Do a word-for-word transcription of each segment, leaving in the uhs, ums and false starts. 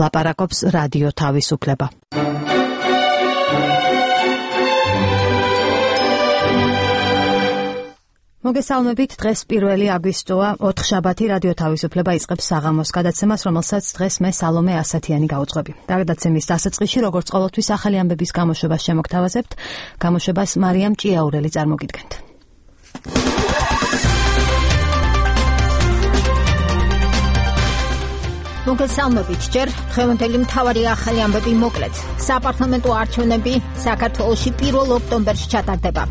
ლაპარაკობს რადიო თავისუფლება. მოგესალმებით, დღეს პირველი აგვისტოა, ოთხშაბათი, რადიო თავისუფლება იწყებს საღამოს გადაცემას, რომელსაც დღეს მე სალომე ასათიანი გავუძღვები. გადაცემის დასაწყისში, როგორც ყოველთვის, ახალი ამბების გამოშვებას შემოგთავაზებთ. გამოშვებას მარიამ ჭიაურელი წარმოგიდგენთ. მოგესალმებით, ჯერ დღევანდელი მთავარი ახალი ამბები მოკლედ. საპარლამენტო არჩევნები საქართველოში პირველ ოქტომბერში ჩატარდება.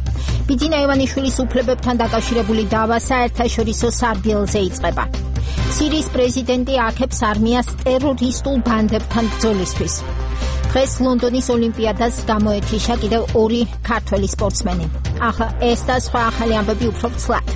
ბიძინა ივანიშვილის უფლებებთან დაკავშირებული დავა საერთაშორისო სარბიელზე იწყება. სირიის პრეზიდენტი აქებს არმიას ტერორისტულ ბანდებთან ბრძოლისთვის. დღეს ლონდონის ოლიმპიადას გამოეთიშა კიდევ ორი ქართველი სპორტსმენი. ახლა ეს და სხვა ახალი ამბები უფრო ცლად.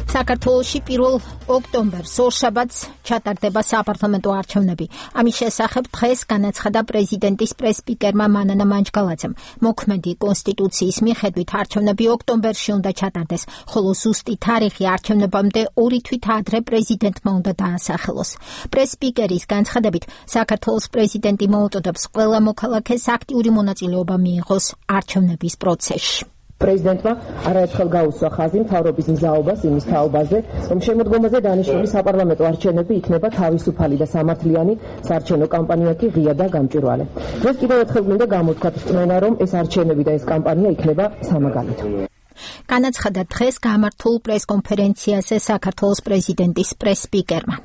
საქართველოში პირველ ოქტომბერს ორშაბათს ჩატარდება საპარლამენტო არჩევნები. ამის შესახებ დღეს განაცხადა პრეზიდენტის პრეს-სპიკერმა მანანა მანჯგალაძემ. მოქმედი კონსტიტუციის მიხედვით არჩევნები ოქტომბერში უნდა ჩატარდეს, ხოლო ზუსტი თარიღი არჩევნებამდე ორი თვით ადრე პრეზიდენტმა უნდა დაასახელოს. პრეს-სპიკერის განცხადებით, საქართველოს პრეზიდენტი მოუწოდებს ყველა მოქალაქეს აქტიური მონაწილეობა მიიღოს არჩევნების პროცესში. პრეზიდენტმა არაერთხელ გაუსვა ხაზი მთავრობის მზაობას იმის თაობაზე, რომ შემოდგომაზე დანიშნული საპარლამენტო არჩევნები იქნება თავისუფალი და სამართლიანი, საარჩევნო კამპანია კი ღია და გამჭვირვალე. დღეს კიდევ ერთხელ მინდა გამოთქვათ რწმენა, რომ ეს არჩევნები და ეს კამპანია იქნება სამაგალითო. განაცხადა დღეს გამართულ პრეს-კონფერენციაზე საქართველოს პრეზიდენტის პრეს-სპიკერმა.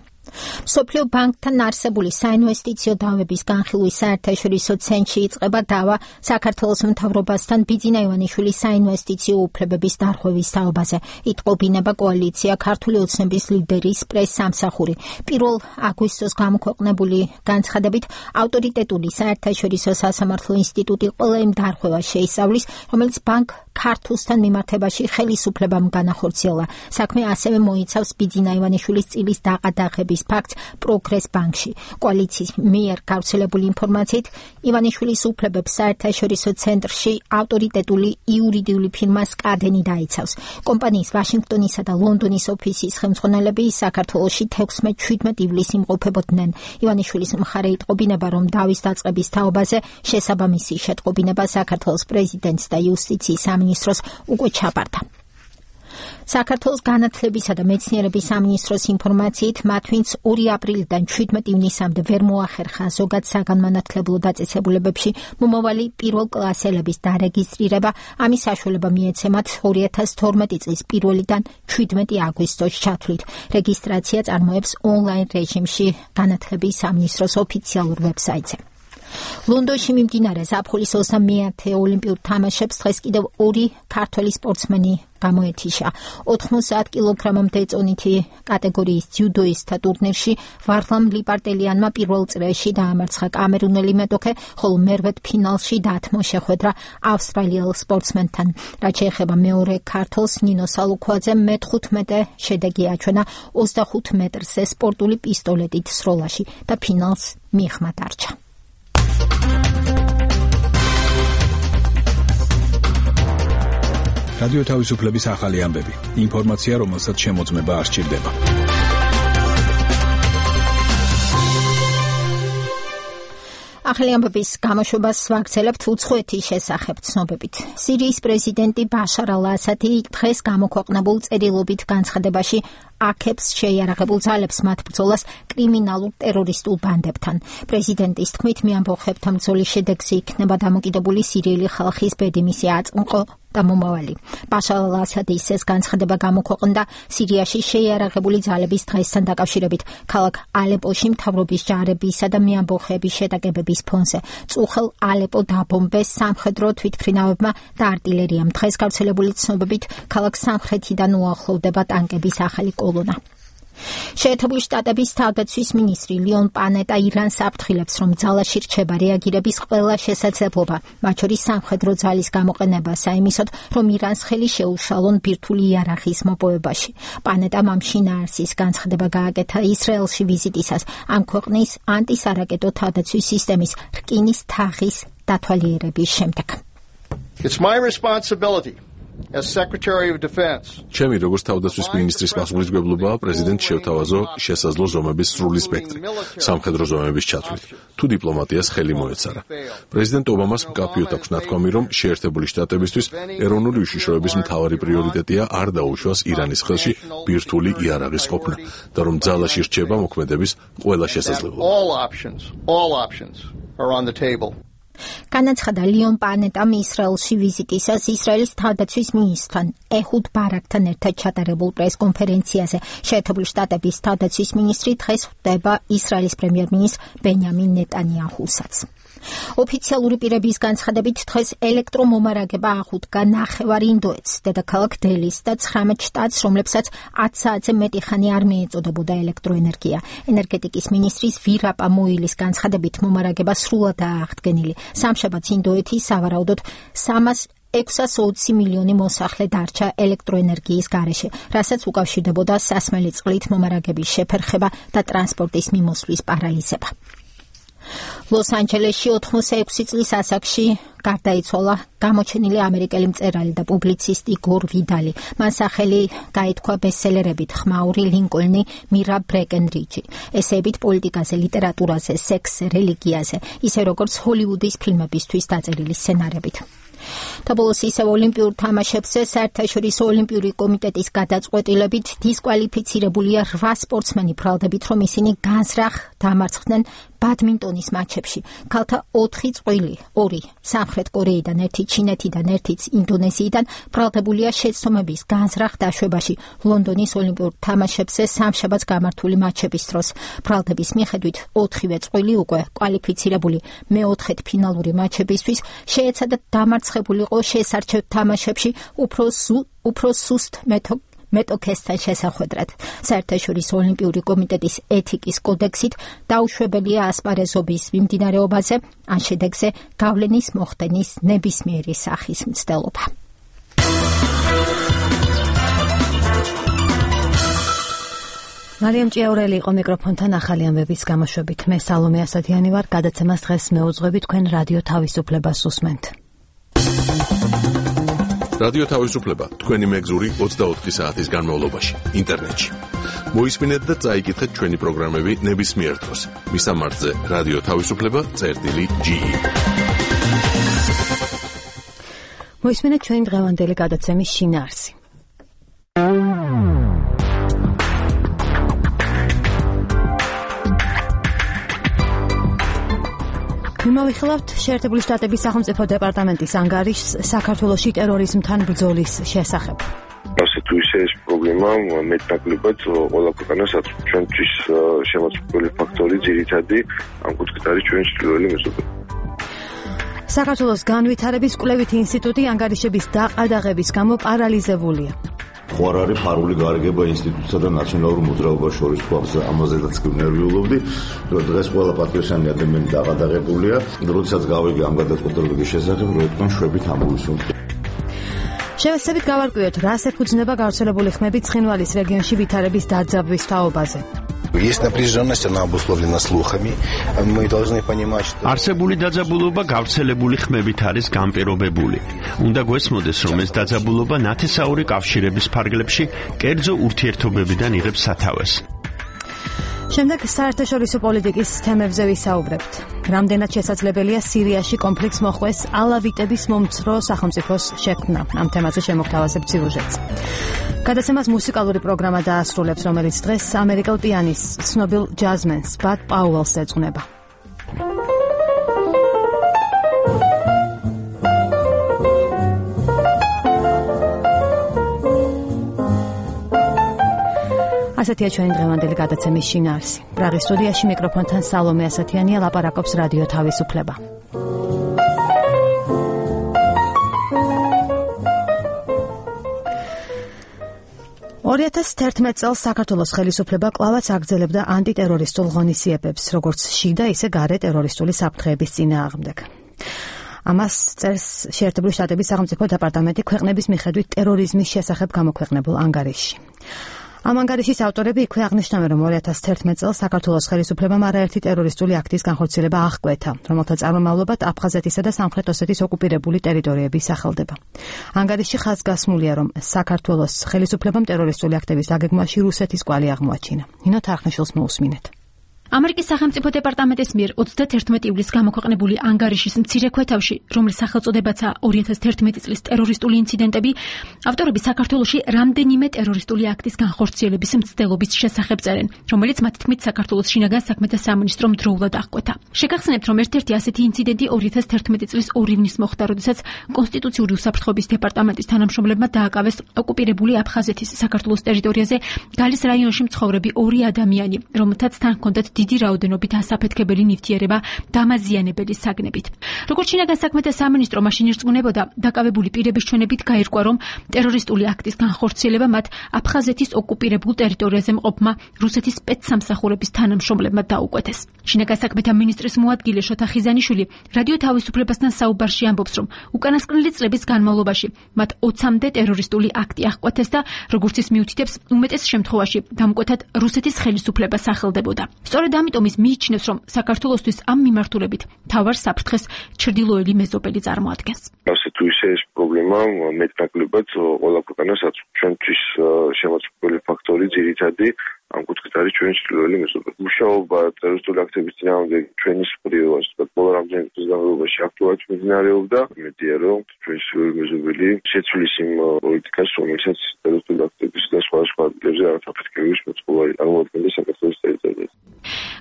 მსოფლიო ბანკთან არსებული საინვესტიციო დავების განხილვის საერთაშორისო ცენტრში იწყება დავა საქართველოს მთავრობასთან ბიძინა ივანიშვილის საინვესტიციო უფლებების დარღვევის თაობაზე. იტყობინება კოალიცია ქართული ოცნების ლიდერის პრეს-სამსახური. პირველ აგვისტოს გამოქვეყნებული განცხადებით, ავტორიტეტული საერთაშორისო სასამართლო ინსტიტუტი ყველა იმ დარღვევას შეისწავლის, რომელიც ბანკ ქართულთან მიმართებაში ხელისუფლებამ განახორციელა. საქმე ასევე მოიცავს ბიძინა ივანიშვილის წილის დაყადაღების ფაქტს პროგრეს ბანკში. კოალიციის მიერ გავრცელებული ინფორმაციით, ივანიშვილის უფლებებს საერთაშორისო ცენტრში ავტორიტეტული იურიდიული ფირმა სკადენი დაიცავს. კომპანიის ვაშინგტონისა და ლონდონის ოფისის ხელმძღვანელები საქართველოში თექვსმეტ შვიდმეტ ივლისს იმყოფებოდნენ. ივანიშვილის მხარე იტყობინება, რომ დავის დაწყების თაობაზე შესაბამისი შეტყობინება საქართველოს პრეზიდენტს და იუსტიციის სამინისტროს უკვე ჩაბარდა. საქართველოს განათლებისა და მეცნიერების სამინისტროს ინფორმაციით, მათ ვინც ორი აპრილიდან შვიდმეტ ივნისამდე ვერ მოახერხა ზოგად საგანმანათლებლო დაწესებულებებში მომავალი პირველ კლასელების დარეგისტრირება, ამის საშუალება მიეცემათ ორი ათას თორმეტი წლის პირველიდან შვიდმეტი აგვისტოს ჩათვლით. რეგისტრაცია წარმოებს ონლაინ რეჟიმში განათლების სამინისტროს ოფიციალურ ვებსაიტზე. ლონდონში მიმდინარე ზაფხულის ოცდამეათე ოლიმპიურ თამაშებს დღეს კიდევ ორი ქართველი სპორტსმენი გამოეთიშა. ოთხმოცდაათ კილოგრამამდე წონითი კატეგორიის ძიუდოისტთა ტურნირში ვარლამ ლიპარტელიანმა პირველ წრეში დაამარცხა კამერუნელი მეტოქე, ხოლო მერვედ ფინალში დათმო შეხვედრა ავსტრალიელ სპორტსმენთან. რაც შეეხება მეორე ქართველს, ნინო სალუქვაძემ მეთხუთმეტე შედეგი აჩვენა ოცდახუთ მეტრზე სპორტული პისტოლეტით სროლაში და ფინალს მიღმა დარჩა. რადიო თავისუფლების ახალი ამბები. ინფორმაცია, რომელსაც შემოწმება არ სჭირდება. ახალი ამბების გამოშვებას ვაგრძელებთ უცხოეთის შესახებ ცნობებით. სირიის პრეზიდენტი ბაშარ ალ-ასადი დღეს გამოქვეყნებულ წერილობით განცხადებაში აქებს შეიარაღებულ ძალებს მათ ბრძოლას კრიმინალურ ტერორისტულ ბანდებთან. პრეზიდენტის თქმით, მე ამბობთ, ბრძოლის შედეგზე იქნება დამოკიდებული სირიელი ხალხის ბედი, მისი აწმყო და მომავალი. ბაშარ ალ-ასადის ეს განცხადება გამოქვეყნდა სირიაში შეიარაღებული ძალების დღესთან დაკავშირებით ქალაქ ალეპოში მთავრობის ჯარებისა და მეამბოხეების შეტაკებების ფონზე. წუხელ ალეპო დაბომბეს სამხედრო თვითმფრინავებმა და არტილერიამ. დღეს გავრცელებული ცნობებით ქალაქ სამხრეთიდან უახლოვდება ტანკების ახალი კოლონა. შეერთებული შტატების თავდაცვის მინისტრი ლიონ პანეტა ირანს აფრთხილებს, რომ ძალაში რჩება რეაგირების ყველა შესაძლებლობა, მათ შორის სამხედრო ძალის გამოყენება საიმისოდ, რომ ირანს ხელი შეუშალონ ბირთვული იარაღის მოპოვებაში. პანეტამ ამ შინაარსის განცხადება გააკეთა ისრაელში ვიზიტისას ამ ქვეყნის ანტისარაკეტო თავდაცვის სისტემის რკინის თაღის დათვალიერების შემდეგ. It's my responsibility As Secretary of Defense. ჩემი როგორც თავდაცვის მინისტრის პასუხისმგებლობაა პრეზიდენტ შევთავაზო შესაძლო ზომების სრული სპექტრი სამხედრო ზომების ჩათვლით თუ დიპლომატიას ხელი მოეცარა. პრეზიდენტ ობამას მკაფიოდ აქვს ნათქვამი, რომ შეერთებული შტატებისთვის ეროვნული უშიშროების მთავარი პრიორიტეტია არ დაუშვას ირანის ხელში ბირთვული იარაღის ყოფნა და რომ ძალაში რჩება მოქმედების ყველა შესაძლებლობა. All options, all options are on the table. განაცხადა ლიონ პანეტამ ისრაელში ვიზიტისას ისრაელის თავდაცვის მინისტრთან ეჰუდ ბარაკთან ერთად ჩატარებულ პრესკონფერენციაზე. შეერთებული შტატების თავდაცვის მინისტრი დღეს ხვდება ისრაელის პრემიერ-მინისტრ ბენიამინ ნეტანიაჰუსაც. ოფიციალური პირების განცხადებით დღეს ელექტრომომარაგება აღუდგა ნახევარ ინდოეთს, დედაქალაქ დელის და ცხრამეტ შტატს, რომლებსაც ათი საათზე მეტი ხანი არ მიეწოდებოდა ელექტროენერგია. ენერგეტიკის მინისტრის ვირაპა მოილის განცხადებით მომარაგება სრულადაა აღდგენილი. სამშაბათს ინდოეთი სავარაუდოდ სამას ექვსას ოცი მილიონი მოსახლე დარჩა ელექტროენერგიის გარეშე, რასაც უკავშირდებოდა სასმელი წყლით მომარაგების შეფერხება და ტრანსპორტის მიმოსვლის პარალიზება. ლოს-ანჯელესში ოთხმოცდაექვსი წლის ასაკში გარდაიცვალა გამოჩენილი ამერიკელი მწერალი და პუბლიცისტი გორ ვიდალი. მან სახელი გაითქვა ბესტსელერებით ხმაური ლინკოლნი, მირა ბრეკენრიჯი, ესეებით პოლიტიკაზე, ლიტერატურაზე, სექსზე, რელიგიაზე, ისე როგორც ჰოლივუდის ფილმებისთვის დაწერილი სცენარებით. და ბოლოს ისევ ოლიმპიურ თამაშებზე საერთაშორისო ოლიმპიური კომიტეტის გადაწყვეტილებით დისკვალიფიცირებულია რვა სპორტსმენი, ბრალდებით რომ ისინი განზრახ დამარცხდნენ ბადმინტონის მატჩებში. ქალთა ოთხი წყვილი, ორი სამხრეთ კორეიდან, ერთი ჩინეთიდან, ერთიც ინდონეზიიდან ბრალდებულია შეცდომების განზრახ დაშვებაში ლონდონის ოლიმპიურ თამაშებზე სამშაბათს გამართული მატჩების დროს. ბრალდების მიხედვით ოთხივე წყვილი უკვე კვალიფიცირებული მეოთხედფინალური მატჩებისთვის შეეცადა დამარცხებულიყო შესარჩევ თამაშებში უფრო უფრო სუსტ მეთოდ მეტოქესთან შესახვედრად. საერთაშორისო ოლიმპიური კომიტეტის ეთიკის კოდექსით დაუშვებელია ასპარეზობის მიმდინარეობაზე ან შედეგზე გავლენის მოხდენის ნებისმიერი სახის მცდელობა. მარიამ ჭიაურელი იყო მიკროფონთან ახალი ამბების გამოშვებით. მე სალომე ასათიანი ვარ, გადაცემას დღეს მეუძღვები, თქვენ რადიო თავისუფლებას უსმენთ. რადიო თავისუფლება თქვენი მეგზური ოცდაოთხი საათის განმავლობაში ინტერნეტში. მოისმინეთ და წაიკითხეთ ჩვენი პროგრამები ნებისმიერ დროს. მისამართზე რადიო თავისუფლება წერტილი ჯი. მოისმინეთ ჩვენი დღევანდელი გადაცემის შინაარსი. მიმოვიხილავთ შეერთებული შტატების სახელმწიფო დეპარტამენტის ანგარიშს საქართველოში ტერორიზმთან ბრძოლის შესახებ. ასე თუ ისე ეს პრობლემა მეტნაკლებად ყველა ქვეყანას აქვს. ჩვენთვის შემოწმებული ფაქტორი ძირითადი ამ კუთხით არის ჩვენი ჩრდილოელი მეზობელი. საქართველოს განვითარების კვლევითი ინსტიტუტი ანგარიშების დაყადაღების გამო პარალიზებულია. ხო არ არის ფარული გარიგება ინსტიტუტსა და ნაციონალურ მოძრაობას შორის, თუ ამაზედაც ნერვიულობდი. დღეს ყველა პატრიოტიანი ადამიანი დაყადაღებულია. როდესაც გავიგე ამ გადაწყვეტილების შესახებ, რომ თქვენ შვებით ამოვისუნთ. შევეცდებით გავარკვიოთ, რას ეფუძნება გავრცელებული ხმები ცხინვალის რეგიონში ვითარების დაძაბვის თაობაზე. Есть напряженность, она обусловлена слухами. Мы должны понимать, что არსებული დაძაბულობა გავრცელებული ხმებით არის განპირობებული. უნდა გვესმოდეს, რომ ეს დაძაბულობა ნათესაური კავშირების ფარგლებში კერძო ურთიერთობებიდან იღებს სათავეს. შემდეგ საერთაშორისო პოლიტიკის თემებზე ვისაუბრებთ. რამდენად შესაძლებელია სირიაში კონფლიქტს მოხვეს ალავიტების მომცრო სახელმწიფოს შექმნა. ამ თემაზე შემოგთავაზებ სიუჟეტს. გადაცემას მუსიკალური პროგრამა დაასრულებს, რომელიც დღეს ამერიკელ პიანისტს, ცნობილ ჯაზმენს ბად პაუელს ეძღვნება. ასეთია ჩვენი დღევანდელი გადაცემის შინაარსი. პრაღის სტუდიაში მიკროფონთან სალომე ასათიანია, ლაპარაკობს რადიო თავისუფლება. ორი ათას თერთმეტ წელს საქართველოს ხელისუფლება კვლავაც აგრძელებდა ანტიტერორისტულ ღონისძიებებს, როგორც შიდა, ისე გარე ტერორისტული საფრთხეების წინააღმდეგ. ამას წერს შეერთებული შტატების სახელმწიფო დეპარტამენტი ქვეყნების მიხედვით ტერორიზმის შესახებ გამოქვეყნებულ ანგარიშში. ამ ანგარიშის ავტორები იქვე აღნიშნავენ, რომ ორი ათას თერთმეტ წელს საქართველოს ხელისუფლებამ არაერთი ტერორისტული აქტის განხორციელება აღკვეთა, რომელთა წარმომავლობად აფხაზეთისა და სამხრეთ ოსეთის ოკუპირებული ტერიტორიები სახელდება. ანგარიში ხაზგასმულია, რომ საქართველოს ხელისუფლებამ ტერორისტული აქტების დაგეგმვაში რუსეთის კვალი აღმოაჩინა. ნინო თარხნიშვილს მოусმინეთ. ამერიკის სახელმწიფო დეპარტამენტის მიერ ოცდათერთმეტი ივლისს გამოქვეყნებული ანგარიშის მცირე ქვეთავში, რომლის სახელწოდებაცაა ორი ათას თერთმეტი წლის ტერორისტული ინციდენტები, ავტორები საქართველოში რამდენიმე ტერორისტული აქტის განხორციელების მცდელობის შესახებ წერენ, რომელიც მათ თქმით საქართველოს შინაგან საქმეთა სამინისტრომ დროულად აღკვეთა. შეგახსენებთ, რომ ერთ-ერთი ასეთი ინციდენტი ორი ათას თერთმეტი წლის ორი ივნისს მოხდა, როდესაც კონსტიტუციური უსაფრთხოების დეპარტამენტის თანამშრომლებმა დააკავეს ოკუპირებული აფხაზეთის საქართველოს ტერიტორიაზე გალის რაიონში მცხოვრები ორი ადამიანი, რომელთაც თან ჰქონდათ დიდი რაოდენობით ასაფეთქებელი ნივთიერება დამაზიანებელი საგნებით. როგორც შინაგან საქმეთა სამინისტრო მაშინ ირწმუნებოდა, დაკავებული პირების ჩვენებით გაირკვა, რომ ტერორისტული აქტის განხორციელება მათ აფხაზეთის ოკუპირებულ ტერიტორიაზე მყოფმა რუსეთის სპეცსამსახურების თანამშრომლებმა დაუკვეთეს. შინაგან საქმეთა მინისტრის მოადგილე შოთა ხიზანიშვილი რადიო თავისუფლებასთან საუბარში ამბობს, რომ უკანასკნელი წლების განმავლობაში მათ ოცამდე ტერორისტული აქტი აღკვეთეს და როგორც ის მიუთითებს, უმეტეს შემთხვევაში დამკვეთად რუსეთის ხელისუფლება სახელდებოდა. სწორედ ამიტომ ის მიიჩნევს, რომ საქართველოსთვის ამ მიმართულებით მთავარ საფრთხეს ჩრდილოელი მეზობელი წარმოადგენს. ასე თუ ისე ეს პრობლემა მეტნაკლებად ყველა ქვეყანას აწვდის. ჩვენთვის შემოწმებული ფაქტორი ძირითადი ამ კუთხით არის ჩვენი ჩრდილოელი მეზობელი. მუშაობა ტერორისტული აქტების წინააღმდეგ ჩვენი მსხვილ ყველა რამდენიმე წლის განმავლობაში აქტუალურად მიმდინარეობდა. მედია რომ ჩვენი ჩრდილოელი მეზობელი შეცვლის იმ პოლიტიკას, რომელსაც ტერორისტული აქტების და სხვა სხვა ადგილებზე არათაფეთქების მოწყობილი წარმოადგენდა საქართველოს ტერიტორიაზე.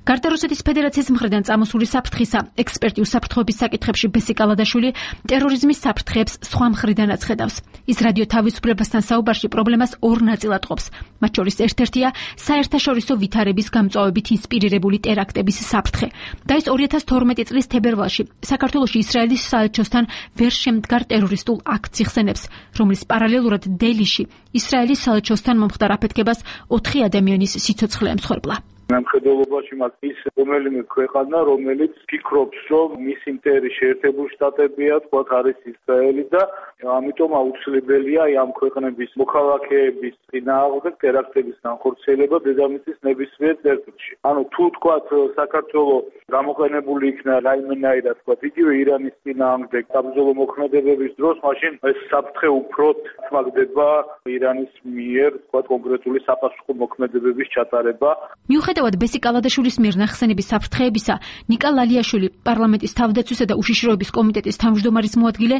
გარდა რუსეთის ფედერაციის მხრიდან წამოსული საფრთხისა, ექსპერტი უსაფრთხოების საკითხებში ბესი კალადაშვილი ტერორიზმის საფრთხეებს სხვა მხრიდანაც ხედავს. ის რადიო თავისუფლებასთან საუბარში პრობლემას ორ ნაწილად ყოფს. მათ შორის ერთ-ერთია საერთაშორისო ვითარების გამწვავებით ინსპირირებული ტერაქტების საფრთხე. და ეს ორი ათას თორმეტი წლის თებერვალში საქართველოში ისრაელის საელჩოსთან ვერ შემდგარ ტერორისტულ აქტს იხსენებს, რომლის პარალელურად დელიში ისრაელის საელჩოსთან მომხდარ აფეთქებას ოთხი ადამიანის სიცოცხლე ემსხვერპლა. მხედველობაში მას ის რომელიმე ქვეყანა, რომელიც ფიქრობს, რომ მისი მტერი შეერთებული შტატებია, თქვათ არის ისრაელი და ამიტომ აუცილებელია ამ ქვეყნების მოქალაქეების წინააღმდეგ ტერაქტების განხორციელება დედამიწის ნებისმიერ წერტილში. ანუ თუ თქვათ საქართველოს გამოყენებული იქნა რაიმენაირად, თქვათ იგივე ირანის წინააღმდეგ საბრძოლო მოქმედებების დროს, მაშინ ეს საფრთხე უფრო თმაგდება ირანის მიერ, თქვათ კონკრეტული საპასუხო მოქმედებების ჩატარება. მიუხედავად ბესი კალადაშვილის მიერ ნახსენების საფრთხეებისა, ნიკა ლალიაშვილი, პარლამენტის თავდაცვისა და უშიშროების კომიტეტის თავმჯდომარის მოადგილე,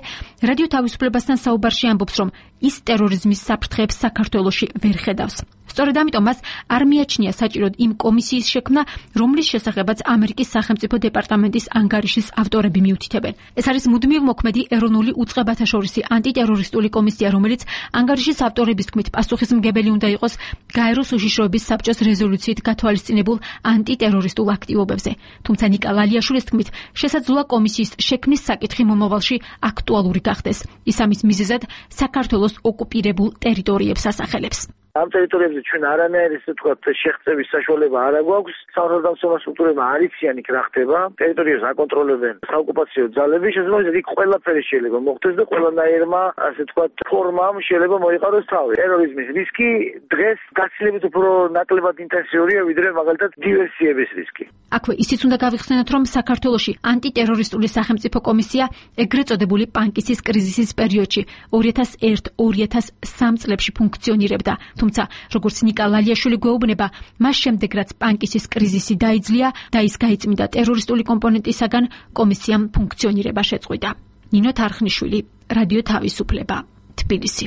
რადიო თავისუფლებასთან საუბარში ამბობს, რომ ის ტერორიზმის საფრთხეებს საქართველოში ვერ ხედავს. სწორედ ამიტომ მას არ მიაჩნია საჭიროდ იმ კომისიის შექმნა, რომლის შესახებაც ამერიკის სახელმწიფო დეპარტამენტის ანგარიშის ავტორები მიუთითებენ. ეს არის მუდმივ მოქმედი ეროვნული უწყებათა შორისი ანტიტერორისტული კომისია, რომელიც ანგარიშის ავტორების თქმით პასუხისმგებელი უნდა იყოს გაეროს უშიშროების საბჭოს რეზოლუციით გათვალისწინებულ ანტიტერორისტულ აქტივობებზე. თუმცა ნიკა ლალიაშვილის თქმით, შესაძლოა კომისიის შექმნის საკითხი მომავალში აქტუალური გახდეს. ის ამის მიზეზად საქართველოს ოკუპირებულ ტერიტორიებს ასახელებს. ამ ტერიტორიებზე ჩვენ არანაირი ისე თქვა შეღწევის საშუალება არ აქვს. სამართალდამცავ სტრუქტურებმა არ იციან იქ რა ხდება. ტერიტორიას აკონტროლებენ საოკუპაციო ძალები, შესაძლოა იქ ყველაფერი შეიძლება მოხდეს და ყველანაირმა ასე თქვა ფორმამ შეიძლება მოიყაროს თავი. ტერორიზმის რისკი დღეს გაცილებით უფრო ნაკლებად ინტენსიურია, ვიდრე მაგალითად დივერსიების რისკი. აქვე ისიც უნდა გავიხსენოთ, რომ საქართველოში ანტიტერორისტული სახელმწიფო კომისია ეგრეთ წოდებული პანკისის კრიზისის პერიოდში ორი ათას ერთ ორი ათას სამ წლებში ფუნქციონირებდა. თუმცა, როგორც ნიკა ლალიაშვილი გვეუბნება, მას შემდეგ რაც პანკისის კრიზისი დაიძლია და ის გაიწმინდა ტერორისტული კომპონენტისაგან, კომისიამ ფუნქციონირება შეწყვიტა. ნინო თარხნიშვილი, რადიო თავისუფლება, თბილისი.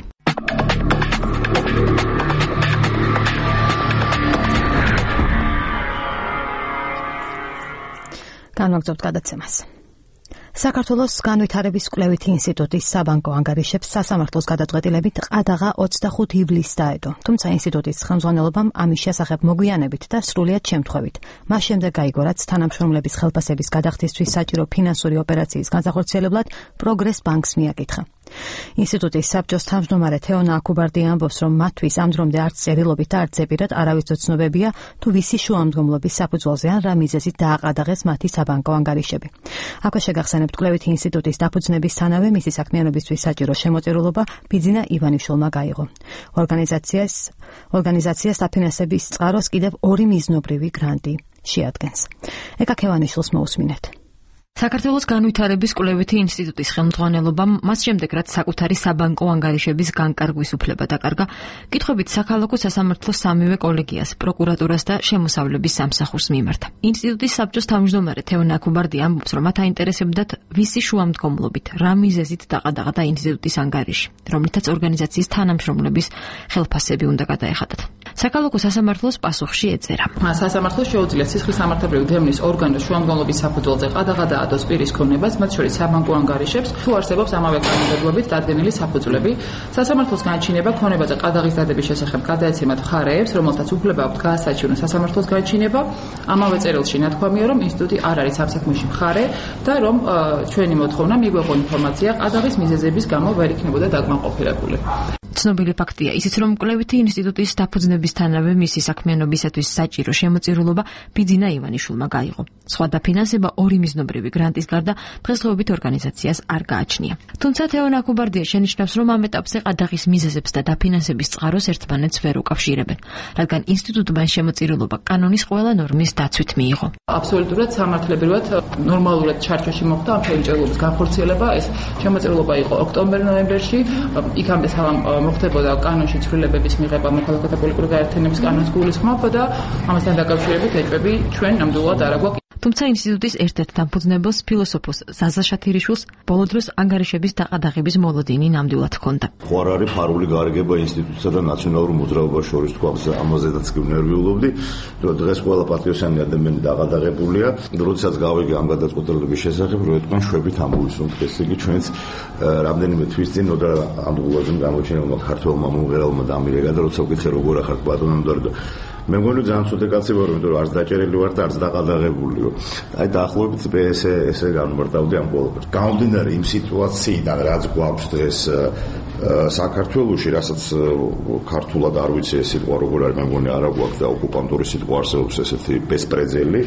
განვაგრძობთ გადაცემას. საქართველოს განვითარების კვლევითი ინსტიტუტის საბანკო ანგარიშებს სასამართლოს გადაწყვეტილებით ყადაღა ოცდახუთი ივლისს დაედო. თუმცა ინსტიტუტის ხელმძღვანელობამ ამის შესახებ მოგვიანებით და სრულიად შემთხვევით. მას შემდეგ გაიგო, რაც თანამშრომლების ხელფასების გადახდისთვის საჭირო ფინანსური ოპერაციის განსახორციელებლად პროგრეს ბანკს მიაკითხა. ინსტიტუტის საბჭოს თავმჯდომარე თეონა აკუბარდი ამბობს, რომ მათთვის ამ დრომდე არც წერილობით და არც ზეპირად არავის ცნობებია, თუ ვისი შუამდგომლობის საფუძველზე ან რა მიზეზით დააყადაღეს მათი საბანკო ანგარიშები. აქვე შეგახსენებთ, კვლევითი ინსტიტუტის დაფუძნებისთანავე მისი საქმიანობისთვის საჭირო შემოწირულობა ბიძინა ივანიშვილმა გაიღო. ორგანიზაციას ორგანიზაციას დაფინანსების წყაროს კიდევ ორი მიზნობრივი გრანტი შეადგენს. ეკა ქევანიშვილს მოусმინეთ. საქართველოს განვითარების კვლევითი ინსტიტუტის ხელმძღვანელობამ მას შემდეგ რაც საკუთარი საბანკო ანგარიშების განკარგვის უფლება დაკარგა, კითხვებით საქალაქო სასამართლოს სამივე კოლეგიას, პროკურატურას და შემოსავლების სამსახურს მიმართა. ინსტიტუტის საბჭოს თავმჯდომარე თეონა აკუბარდი ამბობს, რომ მათ აინტერესებდათ ვისი შუამდგომლობით, რა მიზეზით დაყადაღდა ინსტიტუტის ანგარიში, რომლითაც ორგანიზაციის თანამშრომლების ხელფასები უნდა გადაეხადათ. საქალაქო სასამართლოს პასუხში ეწერა. სასამართლოს შეუძლია სისხლის სამართლებრივი დევნის ორგანოს შუამდგომლობის საფუძველზე ყადაღადაადოს პირის ქონებას, მათ შორის საბანკო ანგარიშებს, თუ არსებობს ამავე კანონმდებლობით დადგენილი საფუძვლები. სასამართლოს განჩინება ქონებაზე ყადაღის დადების შესახებ გადაეცემათ მხარეებს, რომელთაც უფლება აქვთ გაასაჩივრონ სასამართლოს განჩინება. ამავე წერილში ნათქვამია, რომ ინსტიტუტი არ არის ამ საქმეში მხარე და რომ ჩვენი მოთხოვნა მიგვეღო ინფორმაცია ყადაღის მიზეზების გამო ვერ იქნებოდა დაკმაყოფილებული. ცნობილი ფაქტია ისიც, რომ კვლევითი ინსტიტუტის დაფუძნებისთანავე მისი საქმიანობისათვის საჭირო შემოწირულობა ბიძინა ივანიშვილმა გაიღო. სხვა დაფინანსება ორი მიზნობრივი გრანტის გარდა დღესდღეობით ორგანიზაციას არ გააჩნია. თუმცა თეონა აკუბარდია შენიშნავს, რომ ამ ეტაპზე ყადაღის მიზეზებს და დაფინანსების წყაროს ერთმანეთს ვერ უკავშირებენ, რადგან ინსტიტუტმა შემოწირულობა კანონის ყველა ნორმის დაცვით მიიღო. აბსოლუტურად სამართლებრივად ნორმალურად ჩარჩოში მოხდა ამ ფენჭერლობის განხორციელება. ეს შემოწირულობა იყო ოქტომბერ-ნოემბერში, იქამდე მოხდებოდა კანონში ცვლილებების მიღება მოქალაქეთა პოლიტიკური გაერთიანების კანონს გულისხმობ და ამასთან დაკავშირებით ეჭვები ჩვენ ნამდვილად არ აგვაქვს. თუმცა ინსტიტუტის ერთ-ერთ დამფუძნებელს ფილოსოფოს ზაზა შათირიშვილს ბოლო დროს ანგარიშების დაყადაღების მოლოდინი ნამდვილად ჰქონდა. ხო არ არის ფარული გარიგება ინსტიტუტსა და ნაციონალურ მოძრაობას შორის თქვა, ამაზედაც კი ვნერვიულობდი, რომ დღეს ყველა პატრიოტიანი ადამიანი დაყადაღებულია. როდესაც გავიგე ამ გადაწყვეტილების შესახებ, რომ ეთქვენ შვებით ამოვისუნთ, ესე იგი ჩვენც რამდენიმე თვის წინ ნოდარ ანდღულაძემ გამოჩენილმა ქართველმა მომღერალმა დამირეკა და როცა ვკითხე როგორ ახართ ბატონო და მე მგონი ძალიან ცუდი კაცი ვარ, იმიტომ რომ არც დაჭერილი ვარ და არც დაყადაღებული ვარ. აი დაახლოებით ესე ესე განმარტავდი ამ ყველაფერს. გამომდინარე იმ სიტუაციიდან, რაც გვაქვს დღეს საქართველოში, რასაც ქართულად არ ვიცი ეს სიტყვა როგორ არის, მე მგონი არა გვაქვს და ოკუპანტური სიტყვა არსებობს ესეთი ბესპრეძელი.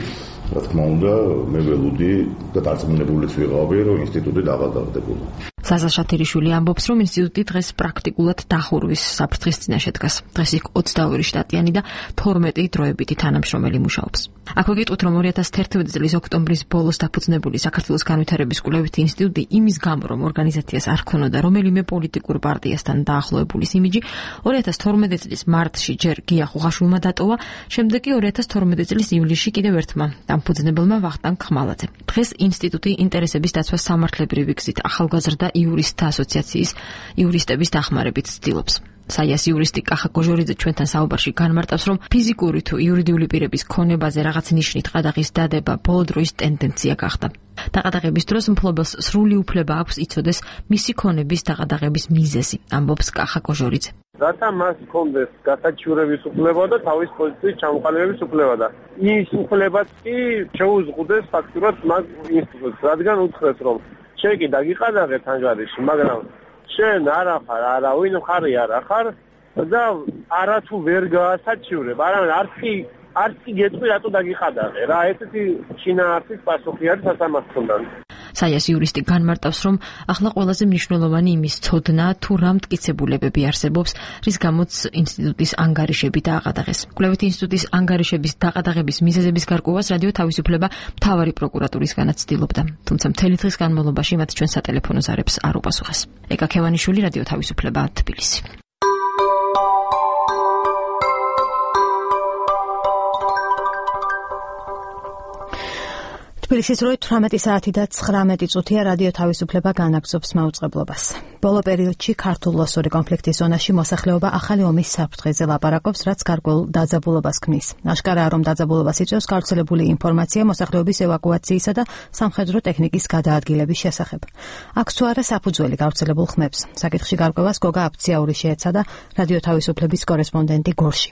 რა თქმა უნდა, მე ველოდი და დარწმუნებულიც ვიყავი, რომ ინსტიტუტი დაყადაღდებოდა. ზაზა შათირიშვილი ამბობს, რომ ინსტიტუტი დღეს პრაქტიკულად დახურვის საფრთხის წინაშე დგას. დღეს იქ ოცდაორი შტატიანი და თორმეტი დროებითი თანამშრომელი მუშაობს. აქვე გეტყვით, რომ ორი ათას თერთმეტი წლის ოქტომბრის ბოლოს დაფუძნებული საქართველოს განვითარების კვლევითი ინსტიტუტი იმის გამო, რომ ორგანიზაციას არ ჰქონოდა რომელიმე პოლიტიკურ პარტიასთან დაახლოებულის იმიჯი, ორი ათას თორმეტი წლის მარტში ჯერ გია ხუღაშვილმა დატოვა, შემდეგ კი ორი ათას თორმეტი წლის ივლისში კიდევ ერთმა დამფუძნებელმა ვახტანგ ხმალაძემ. დღეს ინსტიტუტი ინტერესების დაცვას სამართლებრივი გზით ახალგაზრდა იურისტთა ასოციაციის იურისტების დახმარებით ცდილობს. საიას იურისტი კახა კოჟორიძე ჩვენთან საუბარში განმარტავს, რომ ფიზიკური თუ იურიდიული პირების ქონებაზე რაღაც ნიშნით ყადაღის დადება ბოლო დროის ტენდენცია გახდა. დაყადაღების დროს მფლობელს სრული უფლება აქვს იცოდეს მისი ქონების დაყადაღების მიზეზი, ამბობს კახა კოჟორიძე. რათა მას ჰქონდეს გასაჩივრების უფლება და თავის პოზიციის ჩამოყალიბების უფლება და ის უფლებაც კი შეუზღუდეს ფაქტურად მას ინსტიტუტს, რადგან უთხრეს, რომ შენ კი დაგიყადაღეთ ანგარიში, მაგრამ შენ არ ახარ, არავინ ხარი არ ახარ და არათუ ვერ გაასაჩივრებ, არამედ არც კი არც კი გეტყვი რატო დაგიყადაღე რა, ესეთი შინაარსის პასუხი არის სასამართლოდან. საიას იურისტი განმარტავს, რომ ახლა ყველაზე მნიშვნელოვანი იმის ცოდნა თუ რა მტკიცებულებები არსებობს, რის გამოც ინსტიტუტის ანგარიშები დააყადაღეს. კვლევითი ინსტიტუტის ანგარიშების დაყადაღების მიზეზების გარკვევას რადიო თავისუფლება მთავარი პროკურატურისგანაც ცდილობდა. თუმცა მთელი დღის განმავლობაში მათ ჩვენ სატელეფონო ზარებს არ უპასუხეს. ეკა ქევანიშვილი, რადიო თავისუფლება, თბილისი. თბილისის როი თვრამეტი საათი და ცხრამეტი წუთია რადიო თავისუფლება განაგრძობს მაუწყებლობას. ბოლო პერიოდში ქართულ-ლოსური კონფლიქტის ზონაში მოსახლეობა ახალი ომის საფრთხეზე ლაპარაკობს, რაც გარკვეულ დაძაბულობას ქმნის. აშკარაა, რომ დაძაბულობას იწვევს გავრცელებული ინფორმაცია მოსახლეობის ევაკუაციისა და სამხედრო ტექნიკის გადაადგილების შესახებ. აქვს თუ არა საფუძველი გავრცელებულ ხმებს. საკითხში გარკვევას გოგა აფციაური შეეცადა რადიო თავისუფლების კორესპონდენტი გორში.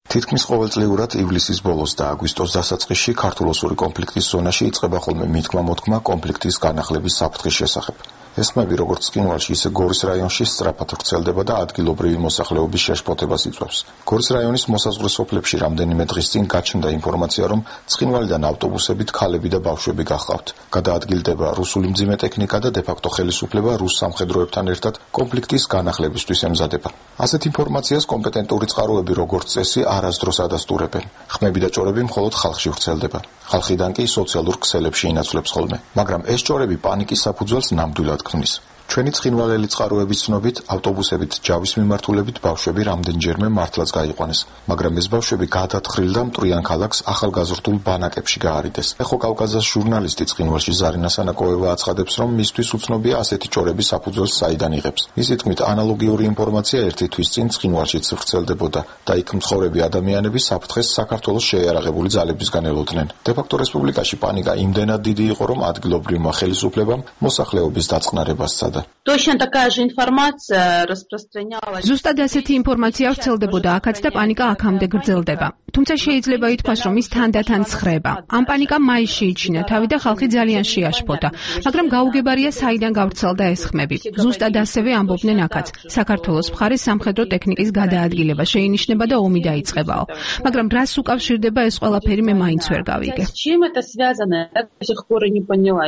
თითქმის ყოველწლიურად ივლისის ბოლოს და აგვისტოს დასაწყისში ქართულ-ლოსური კონფლიქტის ზონაში იწყება ხოლმე მითქმა-მოთქმა კონფლიქტის განახლების საფრთხის შესახებ. ეს ხმები როგორც ცხინვალში, ისე გორის რაიონში სწრაფად ვრცელდება და ადგილობრივი მოსახლეობის შეშფოთებას იწვევს. გორის რაიონის მოსაზღვრე სოფლებში რამდენიმე დღის წინ გაჩნდა ინფორმაცია, რომ ცხინვალიდან ავტობუსებით ქალები და ბავშვები გახავთ. გადაადგილდება რუსული მძიმე ტექნიკა და დე-ფაქტო ხელისუფლება რუს სამხედროებთან ერთად კონფლიქტის განახლებისთვის ემზადება. ასეთ ინფორმაციას კომპეტენტური წყაროები როგორც წესი არასდროს ადასტურებენ. ხმები და ჭორები მხოლოდ ხალხში ვრცელდება. ხალხიდან კი სოციალურ ქსელებში ინაცვლებს ხოლმე. მაგრამ ეს ჭორები პანიკის საფუძველს ნამდვილად ქმნის. ჩვენი ცხინვალელი წყაროების ცნობით, ავტობუსებით ჯავის მიმართულებით ბავშვები რამდენჯერმე მართლაც გაიყვანეს, მაგრამ ეს ბავშვები გადათხრილ და მტვრიან ქალაქს ახალგაზრდულ ბანაკებში გაარიდეს. ეხო კავკაზას ჟურნალისტი ცხინვალში ზარინა სანაკოევა აცხადებს, რომ მისთვის უცნობია ასეთი ჭორების საფუძველს საიდან იღებს. მისი თქმით, ანალოგიური ინფორმაცია ერთი თვის წინ ცხინვალშიც ვრცელდებოდა და იქ მცხოვრები ადამიანები საფრთხეს საქართველოს შეიარაღებული ძალებისგან ელოდნენ. დე-ფაქტო რესპუბლიკაში პანიკა იმდენად დიდი იყო, რომ ადგილობრივმა ხელისუფლებამ მოსახლეობის დაწყნარებას სცადა. Точно такая же информация распространялась. ზუსტად ასეთი ინფორმაცია ვრცელდებოდა აქაც და პანიკა აქამდე გრძელდება. თუმცა შეიძლება ითქვას, რომ ის თანდათან ცხრება. ამ პანიკამ მაისში იჩინა თავი და ხალხი ძალიან შეაშფოთა, მაგრამ გაუგებარია საიდან გავრცელდა ეს ხმები. ზუსტად ასევე ამბობდნენ აქაც. საქართველოს მხარეს სამხედრო ტექნიკის გადაადგილება შეინიშნება და ომი დაიწყებაო. მაგრამ რას უკავშირდება ეს ყველაფერი მე მაინც ვერ გავიგე. С чем это связано? Я до сих пор и не поняла.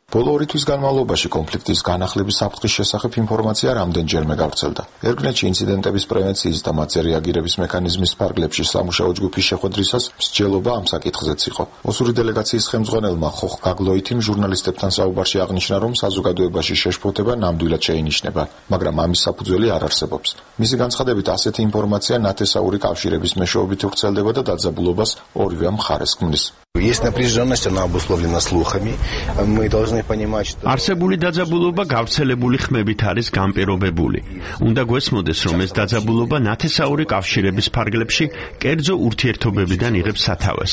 ბოლო ორი თვის განმავლობაში კონფლიქტის განახლების საფრთხის შესახებ ინფორმაცია რამდენჯერმე გავრცელდა. ერგნეთში ინციდენტების პრევენციის და მათზე რეაგირების მექანიზმის ფარგლებში სამუშაო ჯგუფის შეხვედრისას მსჯელობა ამ საკითხზეც იყო. ოსური დელეგაციის ხელმძღვანელმა ხოხ გაგლოითიმ ჟურნალისტებთან საუბარში აღნიშნა, რომ საზოგადოებაში შეშფოთება ნამდვილად შეინიშნება, მაგრამ ამის საფუძველი არ არსებობს. მისი განცხადებით, ასეთი ინფორმაცია ნათესაური კავშირების მეშვეობით ვრცელდება და დაძაბულობას ორივე მხარეს ქმნის. Есть напряженность, она обусловлена слухами. Мы должны понимать, что არსებული დაძაბულობა გავრცელებული ხმებით არის განპირობებული. უნდა გვესმოდეს, რომ ეს დაძაბულობა ნათესაური კავშირების ფარგლებში კერძო ურთიერთობებიდან იღებს სათავეს.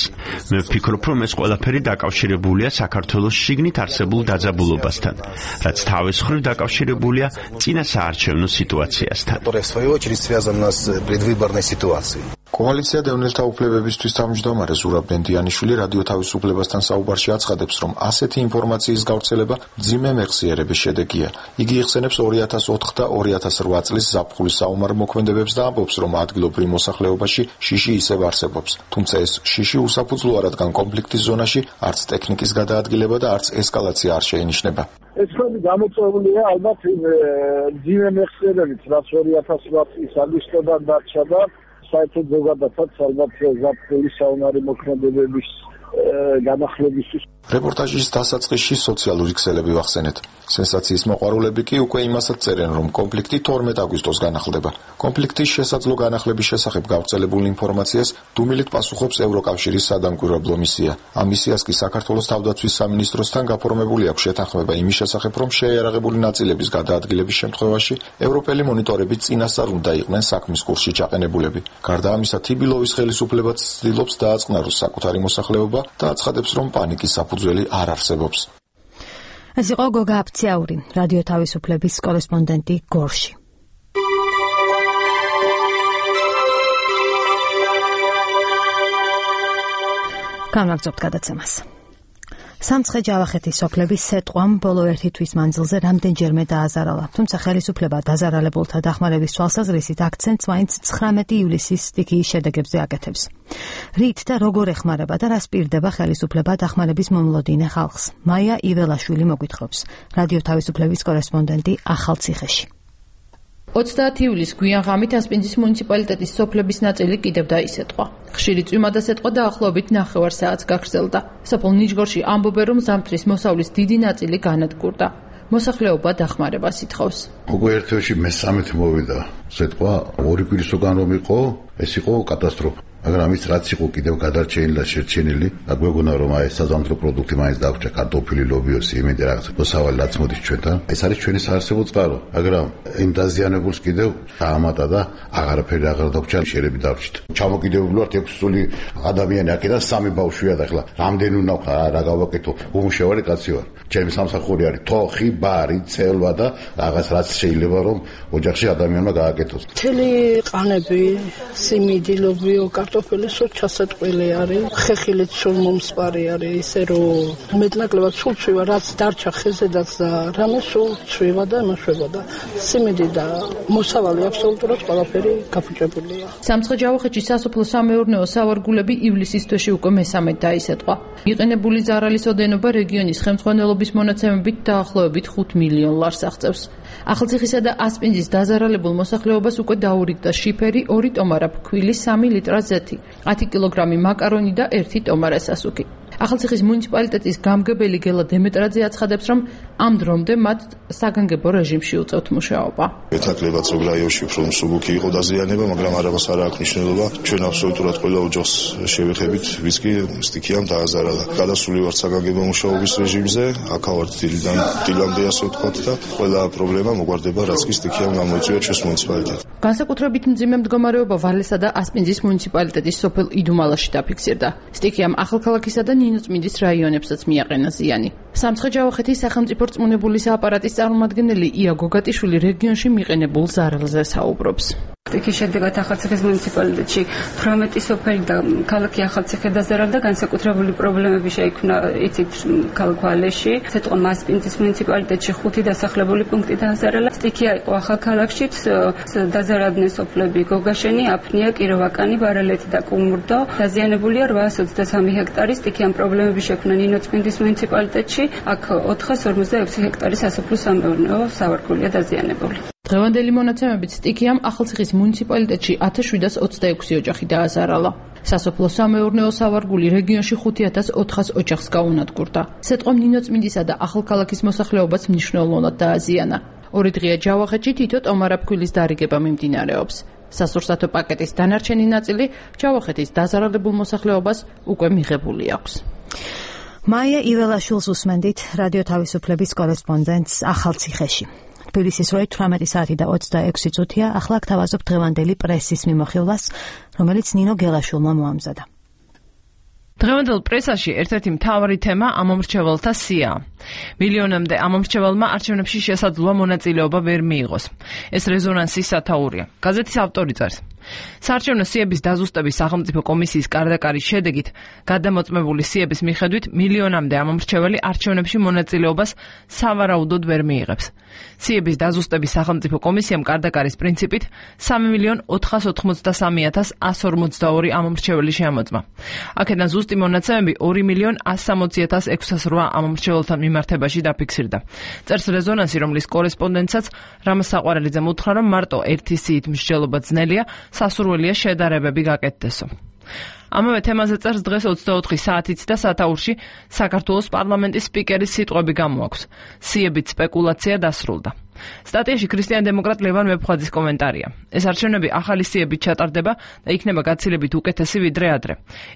მე ვფიქრობ, რომ ეს ყველაფერი დაკავშირებულია საქართველოს შიგნით არსებულ დაძაბულობასთან, რაც თავის მხრივ დაკავშირებულია წინა საარჩევნო სიტუაციასთან. которая в свою очередь связана с предвыборной ситуацией. კოალიცია დევნილთა უფლებებისთვის თავმჯდომარე ზურაბ ბენდიანიშვილი რადიო თავისუფლებასთან საუბარში აცხადებს, რომ ასეთი ინფორმაციის გავრცელება მძიმე მეხსიერების შედეგია. იგი იხსენებს ორი ათას ოთხ და ორი ათას რვა წლის ზაფხულის საომარ მოქმედებებს და ამბობს, რომ ადგილობრივ მოსახლეობაში შიში ისევ არსებობს. თუმცა ეს შიში უსაფუძვლოა, რადგან კონფლიქტის ზონაში არც ტექნიკის გადაადგილება და არც ესკალაცია არ შეინიშნება. ეს ხმები გამოწვეულია ალბათ მძიმე მეხსიერებით, რაც ორი ათას რვა წლის აგვისტოდან დარჩა და საერთოდ ზოგადადაც ალბათ ზაფხულის საომარი მოქმედებების განახლებისთვის. რეპორტაჟის დასაწყისში სოციალური ქსელები ვახსენეთ. სენსაციის მოყვარულები კი უკვე იმასაც წერენ, რომ კონფლიქტი თორმეტ აგვისტოს განახლდება. კონფლიქტის შესაძლო განახლების შესახებ გავრცელებულ ინფორმაციას დუმილით პასუხობს ევროკავშირის სადამკვირვებლო მისია. ამ მისიას კი საქართველოს თავდაცვის სამინისტროსთან გაფორმებული აქვს შეთანხმება იმის შესახებ, რომ შეიარაღებული ნაწილების გადაადგილების შემთხვევაში ევროპელი მონიტორები წინასწარ უნდა იყვნენ საქმის კურსში ჩაყენებულები. გარდა ამისა, თიბილოვის ხელისუფლებაც ცდილობს დააწყნაროს საკუთარი მოსახლეობა და აცხადებს, რომ პანიკის საფუძველი არ არსებობს. ეს იყო გოგა აფციაური, რადიო თავისუფლების კორესპონდენტი გორში. გამაგზავნებთ გადაცემას. სამცხე ჯავახეთის სოფლების სეტყვამ ბოლო ერთი თვის მანძილზე რამდენჯერმე დააზარალა, თუმცა ხელისუფლება დაზარალებულთა დახმარების თვალსაზრისით აქცენტს მაინც ცხრამეტი ივლისის სტიქიის შედეგებზე აკეთებს. რით და როგორ ეხმარება და რას პირდება ხელისუფლება დახმარების მომლოდინე ხალხს? მაია იველაშვილი მოგვითხრობს, რადიო თავისუფლების კორესპონდენტი ახალციხეში. ოცდაათი ივლისს გვიან ღამით ასპინძის მუნიციპალიტეტის სოფლების ნაწილი კიდევ დაისეტყვა. ხშირი წვიმა და სეტყვა დაახლოებით ნახევარ საათს გაგრძელდა. სოფელ ნიჟგორში ამბობენ, რომ ზამთრის მოსავლის დიდი ნაწილი განადგურდა. მოსახლეობა დახმარებას ითხოვს. უკვე ერთ-ერთი მესამეთი მოვიდა სეტყვა, ორი კვირის უკან რომ იყო, ეს იყო კატასტროფა. მაგრამ ის რაც იყო კიდევ გადარჩენილი და შერჩენილი, აგვეგონა რომ აი საზამთრო პროდუქტი მაინც დაგვჭა, კარტოფილი, ლობიოსი, იმედი რაღაც მოსავალი რაც მოდის ჩვენთან. ეს არის ჩვენი საარსებო წყარო, მაგრამ იმ დაზიანებულს კიდევ დაამატა და აღარაფერი აღარ დაგვჭა, შერები დავრჩით. ჩამოკიდებული ვართ ექვსი წული ადამიანი, აქედან სამი ბავშვია და ახლა რამდენი უნდა რა გავაკეთო? უმუშევარი კაცი ვარ. ჩემი სამსახური არის თოხი, ბარი, ცელვა და რაღაც რაც შეიძლება რომ ოჯახში ადამიანმა გააკეთოს. მთელი ყანები, სიმინდი, ლობიო, კარტოფილი კარტოფილი სულ ჩასატყვილი არის, ხეხილიც სულ მომსპარი არის, ისე რომ მეტნაკლებად სულ ცვივა, რაც დარჩა ხეზედაც და რამე სულ ცვივა და მოშვება და სიმინდი და მოსავალი აბსოლუტურად ყველაფერი გაფუჭებულია. სამცხე-ჯავახეთში სასოფლო სამეურნეო სავარგულები ივლისის თვეში უკვე მესამედ დაისეტყვა. იყენებული ზარალის ოდენობა რეგიონის ხელმძღვანელობის მონაცემებით დაახლოებით ხუთ მილიონ ლარს აღწევს. ახალციხისა და ასპინძის დაზარალებულ მოსახლეობას უკვე დაურიგდა შიფერი, ორი ტომარა ფქვილი, სამი ლიტრა ზეთი, ათი კილოგრამი მაკარონი და ერთი ტომარა სასუქი. ახალციხის მუნიციპალიტეტის გამგებელი გელა დემეტრაძე აცხადებს, რომ ამ დრომდე მათ საგანგებო რეჟიმში უწევთ მუშაობა. მეტნაკლებად ზოგ რაიონში უფრო მსუბუქი იყო დაზიანება, მაგრამ არავას არ აქვს მნიშვნელობა. ჩვენ აბსოლუტურად ყველა ოჯახს შევეხებით, ვის კი სტიქიამ დააზარალა. გადასული ვართ საგანგებო მუშაობის რეჟიმზე, აქავართ დილიდან დილამდე ასე ვთქვათ და ყველა პრობლემა მოგვარდება, რაც კი სტიქიამ გამოიწვია ჩვენს მუნიციპალიტეტს. განსაკუთრებით მძიმე მდგომარეობა ვალესა და ასპინძის მუნიციპალიტეტის სოფელ იდუმალაში დაფიქსირდა. სტიქიამ ახალქალაქისა და ნინოწმინდის რაიონებსაც მიაყენა ზიანი. სამცხე-ჯავახეთის სახელმწიფო რწმუნებულის აპარატის წარმომადგენელი ია გოგატიშვილი რეგიონში მიყენებულ ზარალზე საუბრობს. სტიქის შედეგად ახალციხის მუნიციპალიტეტში თვრამეტი სოფელი და ქალაქი ახალციხე დაზარალდა, განსაკუთრებული პრობლემები შეიქმნა იცით ქალაქ ვალეში, ცეტყვა მასპინძის მუნიციპალიტეტში ხუთი დასახლებული პუნქტი დააზარალა. სტიქია იყო ახალქალაქში, დაზარალდნენ სოფლები გოგაშენი, აფნია, კიროვაკანი, ბარალეთი და კუმურდო. დაზიანებულია რვაას ოცდასამი ჰექტარი. სტიქიამ პრობლემები შექმნა ნინოწმინდის მუნიციპალიტეტში, აქ ოთხას ორმოცდაექვსი ჰექტარი სასოფლო სამეურნეო სავარგულია დაზიანებული. დღევანდელი მონაცემებით სტიქიამ ახალციხის მუნიციპალიტეტში ათას შვიდას ოცდაექვსი ოჯახი დააზარალა. სასოფლო სამეურნეო სავარგული რეგიონში ხუთი ათას ოთხას ოჯახს გაუნადგურდა. ცეტყვამ ნინოწმინდისა და ახალქალაქის მოსახლეობას მნიშვნელოვნად დააზიანა. ორი დღეა ჯავახეთში თითო ტომარა ფქვილის დარიგება მიმდინარეობს. სასურსათო პაკეტის დანარჩენი ნაწილი ჯავახეთის დაზარალებულ მოსახლეობას უკვე მიღებული აქვს. მაია იველაშვილს უსმენდით რადიო თავისუფლების კორესპონდენტს ახალციხეში. თბილისის როი თვრამეტი საათი და ოცდაექვსი წუთია. ახლა გთავაზობ დღევანდელი პრესის მიმოხილვას, რომელიც ნინო გელაშვილმა მოამზადა. დღევანდელ პრესაში ერთ-ერთი მთავარი თემა ამომრჩეველთა სიაა. მილიონამდე ამომრჩეველმა არჩევნებში შესაძლოა მონაწილეობა ვერ მიიღოს. ეს რეზონანსის სათაურია. გაზეთის ავტორი წერს: საარჩევნო სიების დაზუსტების სახელმწიფო კომისიის კარდაკარის შედეგით გადამოწმებული სიების მიხედვით მილიონამდე ამომრჩეველი არჩევნებში მონაწილეობას სავარაუდოდ ვერ მიიღებს. სიების დაზუსტების სახელმწიფო კომისიამ კარდაკარის პრინციპით სამი მილიონ ოთხას ოთხმოცდასამი ათას ასს ორმოცდაორი ამომრჩეველი შეამოწმა. აქედან ზუსტი მონაცემები ორი მილიონ ასს სამოცი ათას ექვსას რვა ამომრჩეველთან მიმართებაში დაფიქსირდა. წერს რეზონანსი, რომლის კორესპონდენტსაც რამაზ საყვარელიძემ უთხრა, რომ მარტო ერთი სიით მსჯელობა ძნელია, სასურველია შედარებები გაკეთდესო. ამავე თემაზე წერს დღეს ოცდაოთხი საათით და სათაურში საქართველოს პარლამენტის სპიკერის სიტყვები გამოაქვს. სიებით სპეკულაცია დასრულდა. სტატიაში ქრისტიან დემოკრატ ლევან მეფხვაძის კომენტარია. ეს არჩევნები ახალი სიებით ჩატარდება და იქნება გაცილებით უკეთესი ვიდრე ადრე.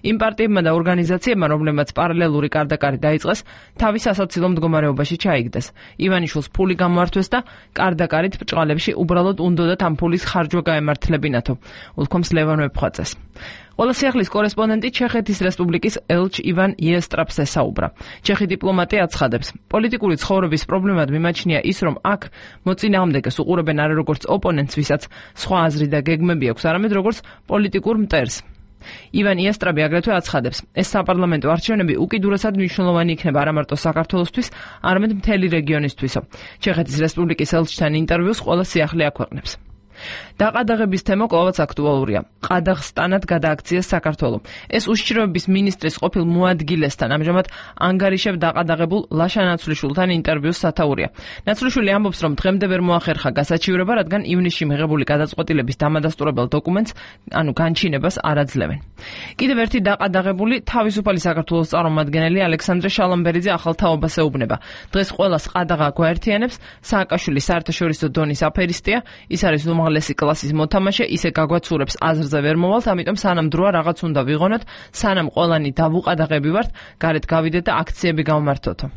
იმ პარტიებმა და ორგანიზაციებმა, რომლებმაც პარალელური კარდაკარი დაიწყეს, თავის ასაცილო მდგომარეობაში ჩაიგდეს. ივანიშვილს ფული გამოართვეს და კარდაკარით ბრჭყალებში უბრალოდ უნდოდათ ამ ფულის ხარჯვა გაემართლებინათო, უთქვამს ლევან მეფხვაძეს. ყველა სიახლის კორესპონდენტი ჩეხეთის რესპუბლიკის ელჩ ივან იესტრაპს ესაუბრა. ჩეხი დიპლომატი აცხადებს, პოლიტიკური ცხოვრების პრობლემად მიმაჩნია ის, რომ აქ მოწინააღმდეგეს უყურებენ არა როგორც ოპონენტს, ვისაც სხვა აზრი და გეგმები აქვს, არამედ როგორც პოლიტიკურ მტერს. ივან იესტრაპი აგრეთვე აცხადებს, ეს საპარლამენტო არჩევნები უკიდურესად მნიშვნელოვანი იქნება არა მარტო საქართველოსთვის, არამედ მთელი რეგიონისთვისო. ჩეხეთის რესპუბლიკის ელჩთან ინტერვიუს ყველა სიახლე აქვეყნებს. დაყადაღების თემა კვლავაც აქტუალურია. ყადაღსტანად გადააქციეს საქართველო. ეს უშიშროების მინისტრის ყოფილ მოადგილესთან ამჟამად ანგარიშებ დაყადაღებულ ლაშა ნაცვლიშვილთან ინტერვიუს სათაურია. ნაცვლიშვილი ამბობს, რომ დღემდე ვერ მოახერხა გასაჩივრება, რადგან ივნისში მიღებული გადაწყვეტილების დამადასტურებელ დოკუმენტს, ანუ განჩინებას არ აძლევენ. კიდევ ერთი დაყადაღებული თავისუფალი საქართველოს წარმომადგენელი ალექსანდრე შალომბერიძე ახალ თაობას ეუბნება. დღეს ყველას ყადაღა გვაერთიანებს, სააკაშვილი საერთაშორისო დონის აფერისტია, ის არის უმაღლესი კლასის მოთამაშე, ისე გაგვაცურებს აზრზე ვერ მოვალთ, ამიტომ სანამ დროა რაღაც უნდა ვიღონოთ, სანამ ყველანი დავუყადაღები ვართ, გარეთ გავიდეთ და აქციები გავმართოთო.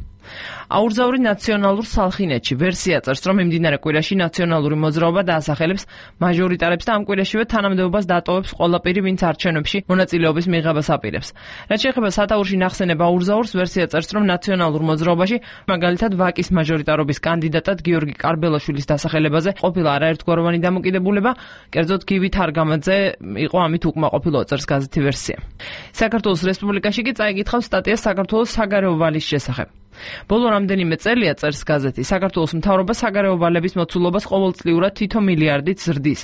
აურზაური ნაციონალურ სალხინეთში ვერსია წერს, რომ მიმდინარე კვირაში ნაციონალური მოძრაობა დაასახელებს მაჟორიტარებს და ამ კვირაშივე თანამდებობას დატოვებს ყველა პირი, ვინც არჩევნებში მონაწილეობის მიღებას აპირებს. რაც შეეხება სათაურში ნახსენებ აურზაურს, ვერსია წერს, რომ ნაციონალურ მოძრაობაში მაგალითად ვაკის მაჟორიტარობის კანდიდატად გიორგი კარბელაშვილის დასახელებაზე ყოფილა არაერთგვაროვანი დამოკიდებულება, კერძოდ გივი თარგამაძე იყო ამით უკმაყოფილო, წერს გაზეთი ვერსია. საქართველოს რესპუბლიკაში კი წაიკითხავს სტატია საქართველოს საგარეო ვალის შესახებ. ბოლო რამდენიმე წელია, წერს გაზეთი, საქართველოს მთავრობა საგარეო ვალების მოცულობას ყოველწლიურად თითო მილიარდით ზრდის.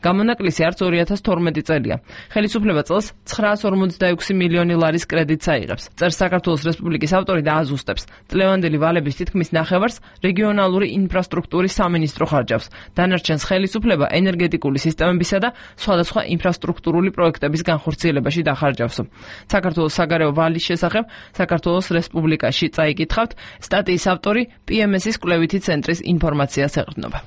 გამონაკლისი არც ორი ათას თორმეტი წელია. ხელისუფლება წელს ცხრაას ორმოცდაექვსი მილიონი ლარის კრედიტს აიღებს. წერს საქართველოს რესპუბლიკის ავტორი და აზუსტებს. წლევანდელი ვალების თითქმის ნახევარს რეგიონალური ინფრასტრუქტურის სამინისტრო ხარჯავს. დანარჩენს ხელისუფლება ენერგეტიკული სისტემებისა და სხვადასხვა ინფრასტრუქტურული პროექტების განხორციელებაში დახარჯავს. საქართველოს საგარეო ვალის შესახებ საქართველოს რესპუბლიკაში წაიკითხავს სტატიის ავტორი პი ემ ეს-ის კვლევითი ცენტრის ინფორმაციას ეყრდნობა.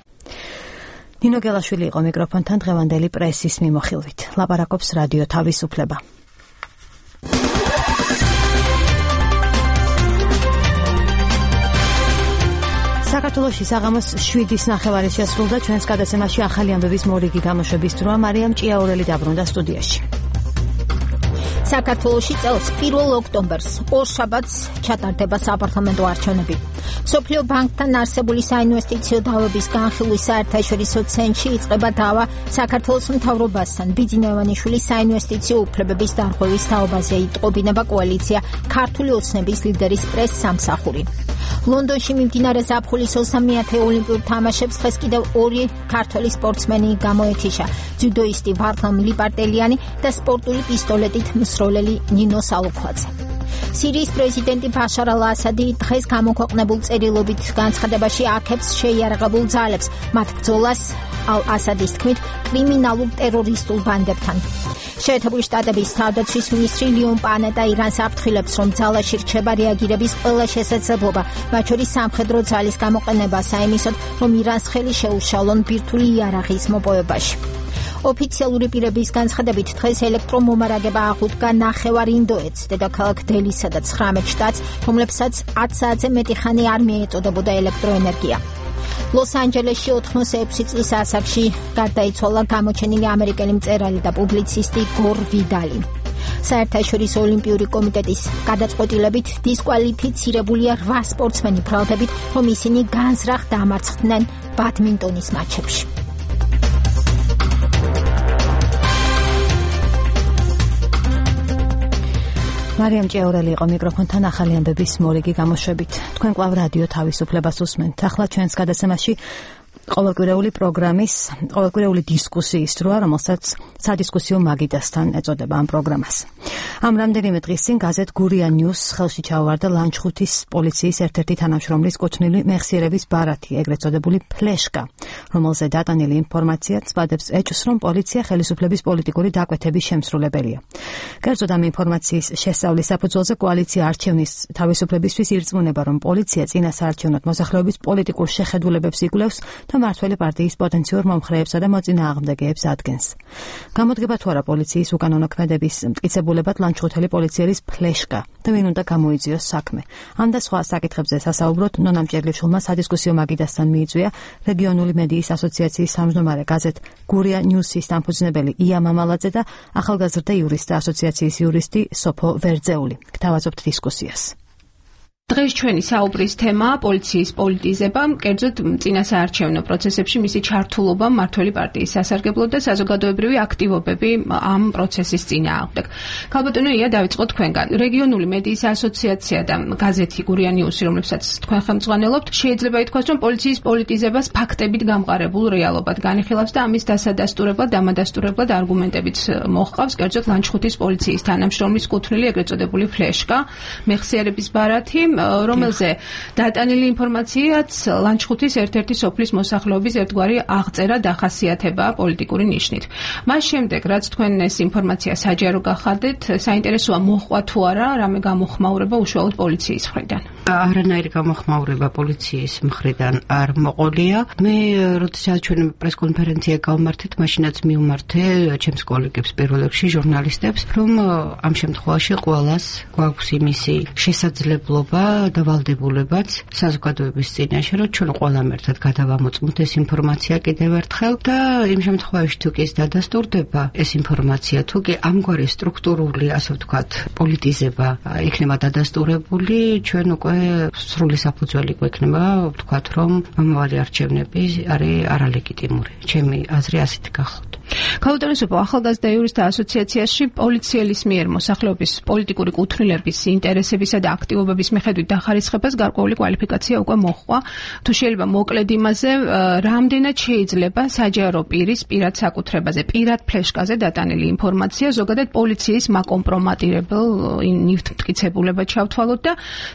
ნინო გელაშვილი იყო მიკროფონთან დღევანდელი პრესის მიმოხილვით. ლაპარაკობს რადიო თავისუფლება. საქართველოში საღამოს შვიდის ნახევარი შესრულდა, ჩვენს გადაცემაში ახალი ამბების მორიგი გამოშვების დროა. მარიამ ჭიაურელი დაბრუნდა სტუდიაში. საქართველოში წელს პირველ ოქტომბერს ორშაბათს ჩატარდება საპარლამენტო არჩევნები. მსოფლიო ბანკთან არსებული საინვესტიციო დავების განხილვის საერთაშორისო ცენტრში იწყება დავა საქართველოს მთავრობასთან. ბიძინა ივანიშვილის საინვესტიციო უფლებების დარღვევის თაობაზე იტყობინება კოალიცია ქართული ოცნების ლიდერის პრეს სამსახური. ლონდონში მიმდინარე ზაფხულის ოცდამეათე ოლიმპიურ თამაშებს დღეს კიდევ ორი ქართველი სპორტსმენი გამოეთიშა. ძუდოისტი ვარდლამ ლიპარტელიანი და სპორტული პისტოლეტით მსროლელი ნინო სალუქვაძე. სირიის პრეზიდენტი ბაშარ ალ-ასადი დღეს გამოქვეყნებულ წერილობით განცხადებაში აქებს შეიარაღებულ ძალებს მათ ბრძოლას ალ-ასადის თქმით კრიმინალურ ტერორისტულ ბანდებთან. შეერთებული შტატების თავდაცვის მინისტრი ლიონ პანეტა ირანს აფრთხილებს, რომ ძალაში რჩება რეაგირების ყველა შესაძლებლობა, მათ შორის სამხედრო ძალის გამოყენება საიმისოდ, რომ ირანს ხელი შეუშალონ ბირთვული იარაღის მოპოვებაში. ოფიციალური პირების განცხადებით დღეს ელექტრომომარაგება აღუდგა ნახევარ ინდოეთს, დედაქალაქ დელისა და ცხრამეტ შტატს, რომლებსაც ათი საათზე მეტი ხანი არ მიეწოდებოდა ელექტროენერგია. ლოს-ანჯელესში ოთხმოცდაექვსი წლის ასაკში გარდაიცვალა გამოჩენილი ამერიკელი მწერალი და პუბლიცისტი გორ ვიდალი. საერთაშორისო ოლიმპიური კომიტეტის გადაწყვეტილებით დისკვალიფიცირებულია რვა სპორტსმენი ბრალდებით, რომ ისინი განზრახ დამარცხდნენ ბადმინტონის მატჩებში. მარიამ ჭიაურელი იყო მიკროფონთან ახალი ამბების მორიგი გამოშვებით. თქვენ კვლავ რადიო თავისუფლებას უსმენთ. ახლა ჩვენს გადაცემაში ყოველკვირეული პროგრამის, ყოველკვირეული დისკუსიის დროა, რომელსაც სადისკუსიო მაგიდასთან ეწოდება ამ პროგრამას. ამ რამდენიმე დღის წინ გაზეთ გურია ნიუს ხელში ჩაუვარდა ლანჩხუთის პოლიციის ერთ-ერთი თანამშრომლის კუთვნილი მეხსიერების ბარათი, ეგრეთ წოდებული ფლეშკა, რომელზე დატანილი ინფორმაცია ცბადებს ეჭვს, რომ პოლიცია ხელისუფლების პოლიტიკური დაკვეთების შემსრულებელია. კერძოდ ამ ინფორმაციის შესწავლის საფუძველზე კოალიცია არჩევნის თავისუფლებისთვის ირწმუნება, რომ პოლიცია წინა საარჩევნო მოსახლეობის პოლიტიკურ შეხედულებებს იკვლევს და მართველი პარტიის პოტენციურ მომხრეებსა და მოწინააღმდეგეებს ადგენს. გამოდგება თუ არა პოლიციის უკანონო ქმედების მტკიცებულებად ლანჩხუთელი პოლიციელის ფლეშკა და ვინ უნდა გამოიძიოს საქმე. ამ და სხვა საკითხებზე სასაუბროდ ნონა მჭერლიშვილმა სადისკუსიო მაგიდასთან მიიწვია რეგიონული მედიის ასოციაციის თავმჯდომარე გაზეთ გურია ნიუსის დამფუძნებელი ია მამალაძე და ახალგაზრდა იურისტთა ასოციაციის იურისტი სოფო ვერძეული. გთავაზობთ დისკუსიას. დღეს ჩვენი საუბრის თემაა პოლიციის პოლიტიზება, კერძოდ წინა საარჩევნო პროცესებში მისი ჩართულობა მმართველი პარტიის სასარგებლოდ და საზოგადოებრივი აქტივობები ამ პროცესის წინააღმდეგ. ქალბატონო ია, დავიწყოთ თქვენგან. რეგიონული მედიის ასოციაცია და გაზეთი გურია ნიუსი, რომლებსაც თქვენ ხელმძღვანელობთ, შეიძლება ითქვას, რომ პოლიციის პოლიტიზებას ფაქტებით გამყარებულ რეალობად განიხილავს და ამის დასადასტურებლად, დამადასტურებლად არგუმენტებით მოჰყავს, კერძოდ ლანჩხუთის პოლიციის თანამშრომლის კუთვნილი ეგრეთ წოდებული ფლეშკა, მეხსიერების ბარათი, რომელზე დატანილი ინფორმაციაც ლანჩხუთის ერთ-ერთი სოფლის მოსახლეობის ერთგვარი აღწერა დახასიათება პოლიტიკური ნიშნით. მას შემდეგ, რაც თქვენ ეს ინფორმაცია საჯარო გახადეთ, საინტერესოა მოჰყვა თუ არა რამე გამოხმაურება უშუალოდ პოლიციის მხრიდან. არანაირი გამოხმაურება პოლიციის მხრიდან არ მოყოლია. მე როდესაც ჩვენ პრესკონფერენცია გავმართეთ, მაშინაც მივმართე ჩემს კოლეგებს პირველ რიგში ჟურნალისტებს, რომ ამ შემთხვევაში ყველას გვაქვს იმისი შესაძლებლობა დავალდებულებაც საზოგადოების წინაშე, რომ ჩვენ ყველამ ერთად გადავამოწმოთ ეს ინფორმაცია კიდევ ერთხელ და იმ შემთხვევაში თუ კი ეს დადასტურდება ეს ინფორმაცია, თუ კი ამგვარი სტრუქტურული, ასე ვთქვათ, პოლიტიზება იქნება დადასტურებული, ჩვენ უკვე სრული საფუძველი გვექნება ვთქვათ, რომ მომავალი არჩევნები არის არალეგიტიმური. ჩემი აზრი ასეთ გახლავთ. გაუთავისუფლო ახალგაზრდა იურისტთა ასოციაციაში პოლიციელის მიერ მოსახლეობის პოლიტიკური კუთვნილების ინტერესებისა და აქტივობების მიხედვით დახარისხებას გარკვეული კვალიფიკაცია უკვე მოჰყვა. თუ შეიძლება მოკლედ იმაზე, რამდენად შეიძლება საჯარო პირის პირად საკუთრებაზე, პირად ფლეშკაზე დატანილი ინფორმაცია ზოგადად პოლიციის მაკომპრომატირებელ ნივთმტკიცებულებად ჩავთვალოთ და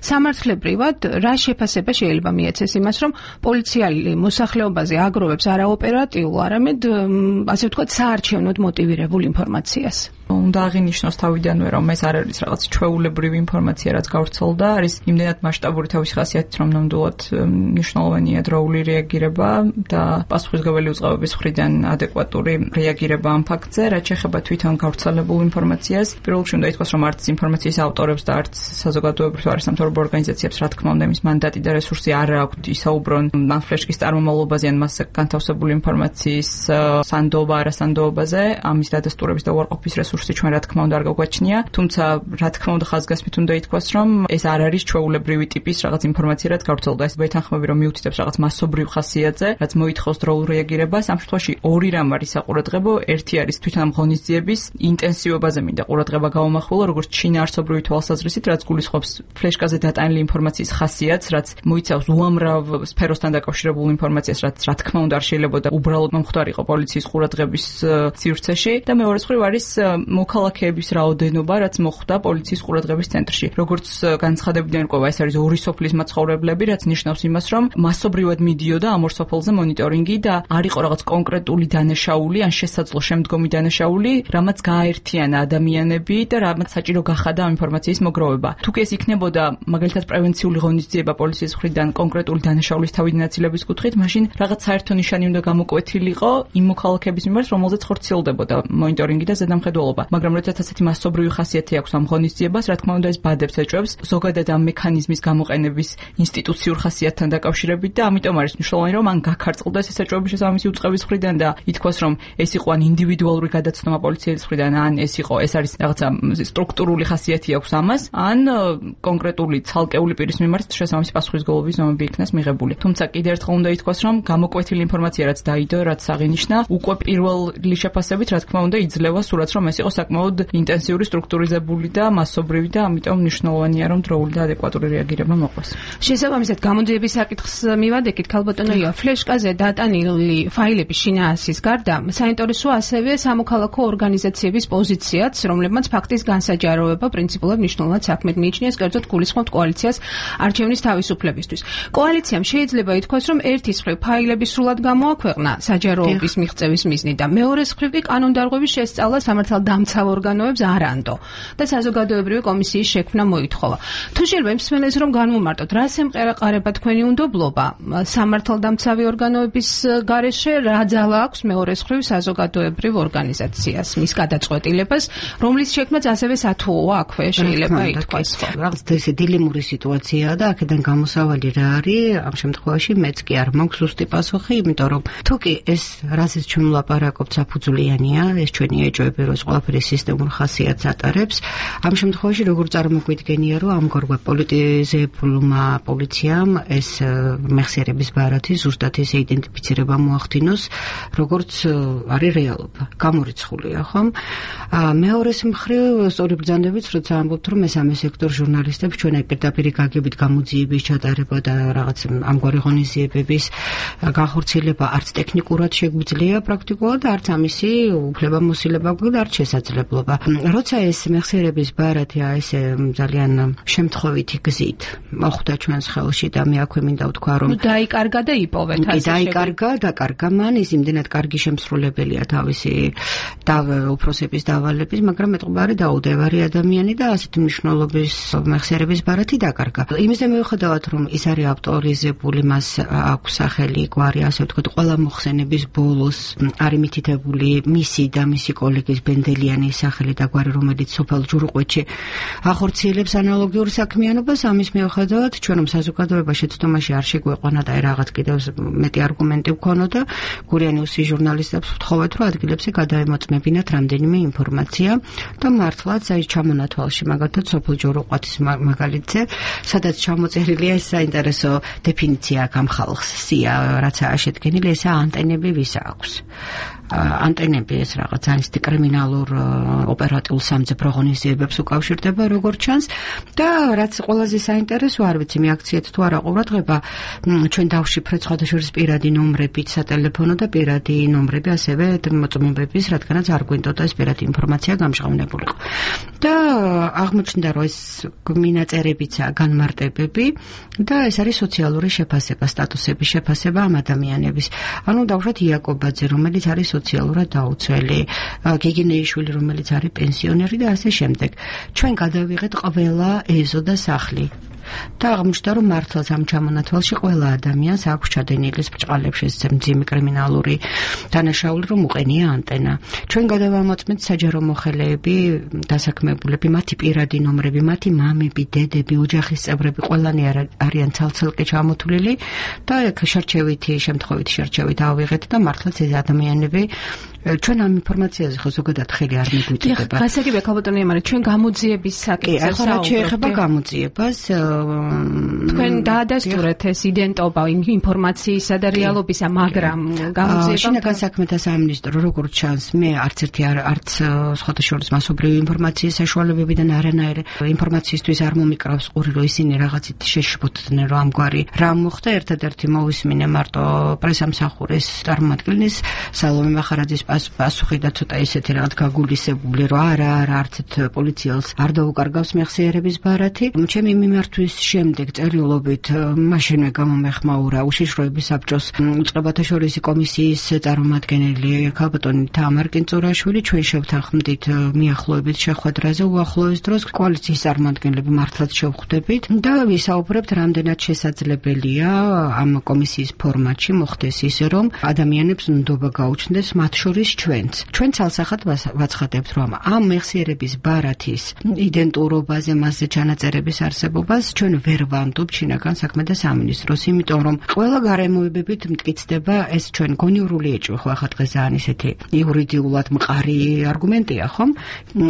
სამართლებრივად რა შეფასება შეიძლება მიეცეს იმას, რომ პოლიციელი მოსახლეობაზე აგროვებს არა ოპერატიულ, არამედ ასე ვთქვათ, საარჩევნოდ მოტივირებულ ინფორმაციას. უნდა აღინიშნოს თავიდანვე, რომ ეს არ არის რაღაც ჩვეულებრივი ინფორმაცია, რაც გავრცელდა, არის იმდენად მასშტაბური თავისი ხასიათით, რომ ნამდვილად მნიშვნელოვანია დროული რეაგირება და პასუხისმგებელი უწყებების მხრიდან ადეკვატური რეაგირება ამ ფაქტზე, რაც შეეხება თვითონ გავრცელებულ ინფორმაციას. პირველ რიგში უნდა ითქვას, რომ არც ინფორმაციის ავტორებს და არც საზოგადოებრივ არასამთავრობო ორგანიზაციებს, რა თქმა უნდა, იმის მანდატი და რესურსი არ აქვთ ისაუბრონ ამ ფლეშკის წარმომავლობაზე ან მასზე განთავსებული ინფორმაციის სანდოობა, არასანდოობაზე, ამის დადასტურების და უარყოფის რესურსი ჩვენ რა თქმა უნდა არ გაგვაჩნია, თუმცა რა თქმა უნდა ხაზგასმით უნდა ითქვას, რომ ეს არ არის ჩვეულებრივი ტიპის რაღაც ინფორმაცია, რაც გავრცელდა. ეს ვეთანხმები, რომ მიუთითებს რაღაც მასობრივ ხასიათზე, რაც მოითხოვს დროულ რეაგირებას. ამ შემთხვევაში ორი რამ არის საყურადღებო, ერთი არის თვითონ ამ ღონისძიების ინტენსივობაზე მინდა ყურადღება გავამახვილო, როგორც შინაარსობრივი თვალსაზრისით, რაც გულისხმობს ფლეშკაზე დატანილი ინფორმაციის ხასიათს, რაც მოიცავს უამრავ სფეროსთან დაკავშირებულ ინფორმაციას, რაც რა თქმა უნდა არ შეიძლება და უბრალოდ მომხდარიყო პოლიციის ყურადღების სივრცეში და მეორე მხრივ არის მოქალაქეების რაოდენობა, რაც მოხვდა პოლიციის ყურადღების ცენტრში. როგორც განცხადებიდან ყვება, ეს არის ორი სოფლის მაცხოვრებლები, რაც ნიშნავს იმას, რომ მასობრივად მიდიოდა ამ ორ სოფელზე მონიტორინგი და არ იყო რაღაც კონკრეტული დანაშაული ან შესაძლო შემდგომი დანაშაული, რამაც გააერთიანა ადამიანები და რამაც საჭირო გახადა ამ ინფორმაციის მოგროვება. თუ კი ეს იქნებოდა მაგალითად პრევენციული ღონისძიება პოლიციის მხრიდან კონკრეტული დანაშაულის თავიდან აცილების კუთხით, მაშინ რაღაც საერთო ნიშანი უნდა გამოკვეთილიყო იმ მოქალაქეების მიმართ, რომელზეც ხორციელდებოდა მონიტორინგი და ზედამხედველობა. მაგრამ როდესაც ასეთი მასობრივი ხასიათი აქვს ამ ღონისძიებას, რა თქმა უნდა ეს ბადებს ეჭვებს ზოგადად ამ მექანიზმის გამოყენების ინსტიტუციურ ხასიათთან დაკავშირებით და ამიტომ არის მნიშვნელოვანი, რომ ან გაქარწყლდეს ეს ეჭვები შესაბამისი უწყების მხრიდან და ითქვას, რომ ეს იყო ან ინდივიდუალური გადაცნობა პოლიციის მხრიდან, ან ეს იყო ეს არის რაღაცა სტრუქტურული ხასიათი აქვს ამას, ან კონკრეტული ცალკეული პირის მიმართ შესაბამისი პასუხისმგებლობის ზომები იქნას მიღებული. თუმცა კიდევ ერთხელ უნდა ითქვას, რომ გამოკვეთილი ინფორმაცია, რაც დაიდო, რაც აღინიშნა, უკვე პირველი შეფასებით, რა თქმა უნდა, იძლევა სურათს, რომ ეს იყო საკმაოდ ინტენსიური, სტრუქტურიზებული და მასობრივი და ამიტომ მნიშვნელოვანია, რომ დროული და ადეკვატური რეაგირება მოყვეს. შესაბამისად, გამოდიების საკითხს მივადეკით, ქალბატონო იო, ფლეშკაზე დატანილი ფაილების შინაარსის გარდა, საინტერესოა ასევე სამოქალაქო ორგანიზაციების პოზიციაც, რომლებმაც ფაქტის განსაჯაროვება პრინციპულად მნიშვნელოვნად საქმედ მიიჩნიეს, კერძოდ გულისხმობთ კოალიციას არჩევნის თავისუფლებისთვის. კოალიციამ შეიძლება ითქვას, რომ ერთის მხრივ ფაილები სრულად გამოაქვეყნა საჯაროობის მიღწევის მიზნით და მეორეს მხრივ კი კანონდარღვევის შესწავლა სამართალდამცავ ორგანოებს არ ანდო და საზოგადოებრივი კომისიის შექმნა მოითხოვა. თუ შეიძლება იმსმენელს რომ განვუმარტოთ, რას ემყარება თქვენი უნდობლობა სამართალდამცავი ორგანოების გარეშე, რა ძალა აქვს მეორეს მხრივ საზოგადოებრივ ორგანიზაციას, მის გადაწყვეტილებას, რომლის შექმნაც ასევე სათუოა აქვე შეიძლება ითქვას. რაღაც ესე დილემური სიტუაციაა და აქედან გამოსავალი რა არის, ამ შემთხვევაში მეც კი არ მაქვს ზუსტი პასუხი, იმიტომ რომ თუ კი ეს რაზეც ჩვენ ვლაპარაკობთ საფუძვლიანია, ეს ჩვენი ეჭვები, რომ ყველაფერი სისტემურ ხასიათს ატარებს, ამ შემთხვევაში როგორ წარმოგვიდგენია, რომ ამგვარმა პოლიტიზებულმა პოლიციამ ეს მეხსიერების ბარათი ზუსტად ეს იდენტიფიცირება მოახდინოს, როგორც არის რეალობა. გამორიცხულია, ხომ? მეორეს მხრივ, სწორი ბრძანებით, როცა ამბობთ, რომ მესამე სექტორ ჟურნალისტებს ჩვენ აი პირდაპირ გაგებით გამოძიების ჩატარება და რაღაც ამგვარი ღონისძიებების განხორციელება არც ტექნიკურად შეგვიძლია პრაქტიკულად, არც ამისი უფლებამოსილება და არც შესაძლებლობა. როცა ეს მეხსიერების ბარათი ესე ძალიან შემთხვევითი გზით მოხვდა ჩვენს ხელში და მე აქვე მინდა ვთქვა, რომ დაიკარგა და იპოვეთ ასე შეგვიძლია. დაიკარგა, დაკარგა მან, ის იმდენად კარგი შემსრულებელია თავისი უფროსების დავალების, მაგრამ მეტყობარი დაუდევარი ადამიანი და ასეთი მნიშვნელობის მეხსიერების ბარათი დაკარგა. იმისე მიუხედავად, რომ ის არის ავტორიზებული, მას აქვს სახელი, გვარი, ასე ვთქვათ, ყველა მოხსენების ბოლოს არის მითითებული მისი და მისი კოლეგის ბენდელი მართლიანი სახელი და გვარი, რომელიც სოფელ ჯურუყვეთში ახორციელებს ანალოგიურ საქმიანობას. ამის მიუხედავად, ჩვენ რომ საზოგადოება შეცდომაში არ შეგვეყვანა და რაღაც კიდევ მეტი არგუმენტი ვქონოდა, გურიანიუსის ჟურნალისტებს ვთხოვეთ, რომ ადგილებზე გადაემოწმებინათ რამდენიმე ინფორმაცია და მართლაც აი ჩამონათვალში მაგალითად სოფელ ჯურუყვეთის მაგალითზე, სადაც ჩამოწერილია ეს საინტერესო დეფინიცია აქ ამ ხალხს სია, რაც შედგენილი ესა ანტენები ვის აქვს. ანტენები ეს რაღაც ძალიან კრიმინალურ ოპერატიულ სამძებრო ღონისძიებებს უკავშირდება როგორც ჩანს და რაც ყველაზე საინტერესო არ ვიცი მიაქციეთ თუ არა ყურადღება ჩვენ დავშიფრეთ სხვადასხვა პირადი ნომრებით სატელეფონო და პირადი ნომრები ასევე მოწმობების რადგანაც არ გვინდოდა ეს პირადი ინფორმაცია გამჟღავნებულიყო და აღმოჩნდა რომ ეს მინაწერებიცა განმარტებები და ეს არის სოციალური შეფასება სტატუსების შეფასება ამ ადამიანების ანუ დავუშვათ იაკობაძე რომელიც არის სოციალურად დაუცველი, გიგინეიშვილი, რომელიც არის პენსიონერი და ასე შემდეგ. ჩვენ გადავიღეთ ყველა ეზო და სახლი. და აღმოჩნდა რომ მართლაც ამ ჩამონათვალში ყველა ადამიანს აქვს ჩადენილი ბჭყალებში ეს მძიმე კრიმინალური დანაშაული რომ უყენია ანტენა. ჩვენ გადავამოწმეთ საჯარო მოხელეები, დასაქმებულები, მათი პირადი ნომრები, მათი მამები, დედები, ოჯახის წევრები ყველანი არიან ცალ-ცალკე ჩამოთვლილი და ეგ შერჩევითი, შემთხვევითი შერჩევით ავიღეთ და მართლაც ეს ადამიანები ჩვენ ამ ინფორმაციაზე ხო ზოგადად ხელი არ მიგვიწევდება. გასაგებია ქალბატონი ემარი, ჩვენ გამოძიების საკითხზე ახლა რა შეეხება გამოძიებას თქვენ დაადასტურეთ ეს იდენტობა ინფორმაციისა და რეალობისა, მაგრამ გამოძიება შინაგან საქმეთა სამინისტრო როგორც ჩანს, მე არც ერთი არც სხვადასხვა მასობრივი ინფორმაციის საშუალებებიდან არანაირ ინფორმაციისთვის არ მომიკრავს ყური, რომ ისინი რაღაცით შეშფოთდნენ, რომ ამგვარი რა მოხდა. ერთადერთი მოვისმინე მარტო პრესამსახურის წარმომადგენლის სალომე მახარაძის პასუხი და ცოტა ისეთი რაღაც გაგულისებული, რომ არა, არა, არც ერთ პოლიციელს არ დაუკარგავს მეხსიერების ბარათი. ჩემი მიმართვის შემდეგ წერილობით მაშინვე გამომეხმაურა უშიშროების საბჭოს უწყებათა შორისი კომისიის წარმომადგენელი ქალბატონი თამარ კინწურაშვილი. ჩვენ შევთანხმდით მიახლოებით შეხვედრაზე უახლოეს დროს კოალიციის წარმომადგენლები მართლაც შევხვდებით და ვისაუბრებთ რამდენად შესაძლებელია ამ კომისიის ფორმატში მოხდეს ისე რომ ადამიანებს ნდობა გაუჩნდეს მათ შორის ჩვენც. ჩვენ ცალსახად ვაცხადებთ რომ ამ მეხსიერების ბარათის იდენტურობაზე მასზე ჩანაწერების არსებობას ჩვენ ვერ ვამდობ შინაგან საქმეთა სამინისტროს, იმიტომ რომ ყველა გარემოებებით მტკიცდება ეს ჩვენ გონიურული ეჭვი ხო ახლა დღეს ძალიან ისეთი იურიდიულად მყარი არგუმენტია ხომ?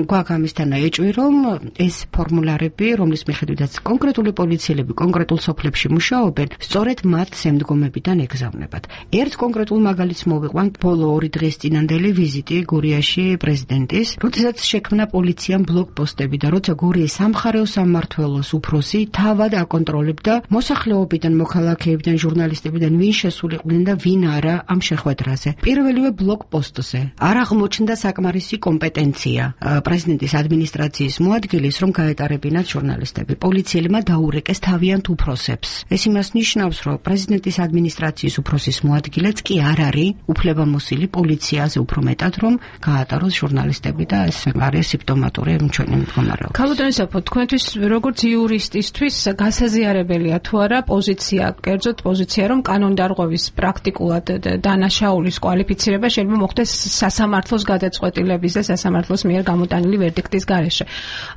გვაქვს ამისთან ეჭვი რომ ეს ფორმულარები, რომლის მიხედვითაც კონკრეტული პოლიციელები კონკრეტულ სოფლებში მუშაობენ, სწორედ მათ შემდგომებიდან ეგზავნებათ. ერთ კონკრეტულ მაგალითს მოვიყვან ბოლო ორი დღის წინანდელი ვიზიტი გურიაში პრეზიდენტის, როდესაც შექმნა პოლიციამ ბლოკპოსტები და როცა გურიის სამხარეო სამმართველოს უფროსი თავად აკონტროლებდა მოსახლეობიდან, მოქალაქეებიდან, ჟურნალისტებიდან ვინ შესულიყვნენ და ვინ არა ამ შეხვედრაზე. პირველივე ბლოკპოსტზე არ აღმოჩნდა საკმარისი კომპეტენცია პრეზიდენტის ადმინისტრაციის მოადგილის, რომ გაეტარებინათ ჟურნალისტები. პოლიციელებმა დაურეკეს თავიანთ უფროსებს. ეს იმას ნიშნავს, რომ პრეზიდენტის ადმინისტრაციის უფროსის მოადგილეც კი არ არის უფლებამოსილი პოლიციაზე უფრო მეტად, რომ გაატაროს ჟურნალისტები და ეს არის სიმპტომატური ჩვენი მდგომარეობა. ქალბატონი საფო, თქვენთვის როგორც იურისტისთვის გასაზიარებელია თუ არა პოზიცია, კერძოდ პოზიცია, რომ კანონდარღვევის პრაქტიკულად დანაშაულის კვალიფიცირება შეიძლება მოხდეს სასამართლოს გადაწყვეტილების და სასამართლოს მიერ გამოტანილი ვერდიქტის გარეშე.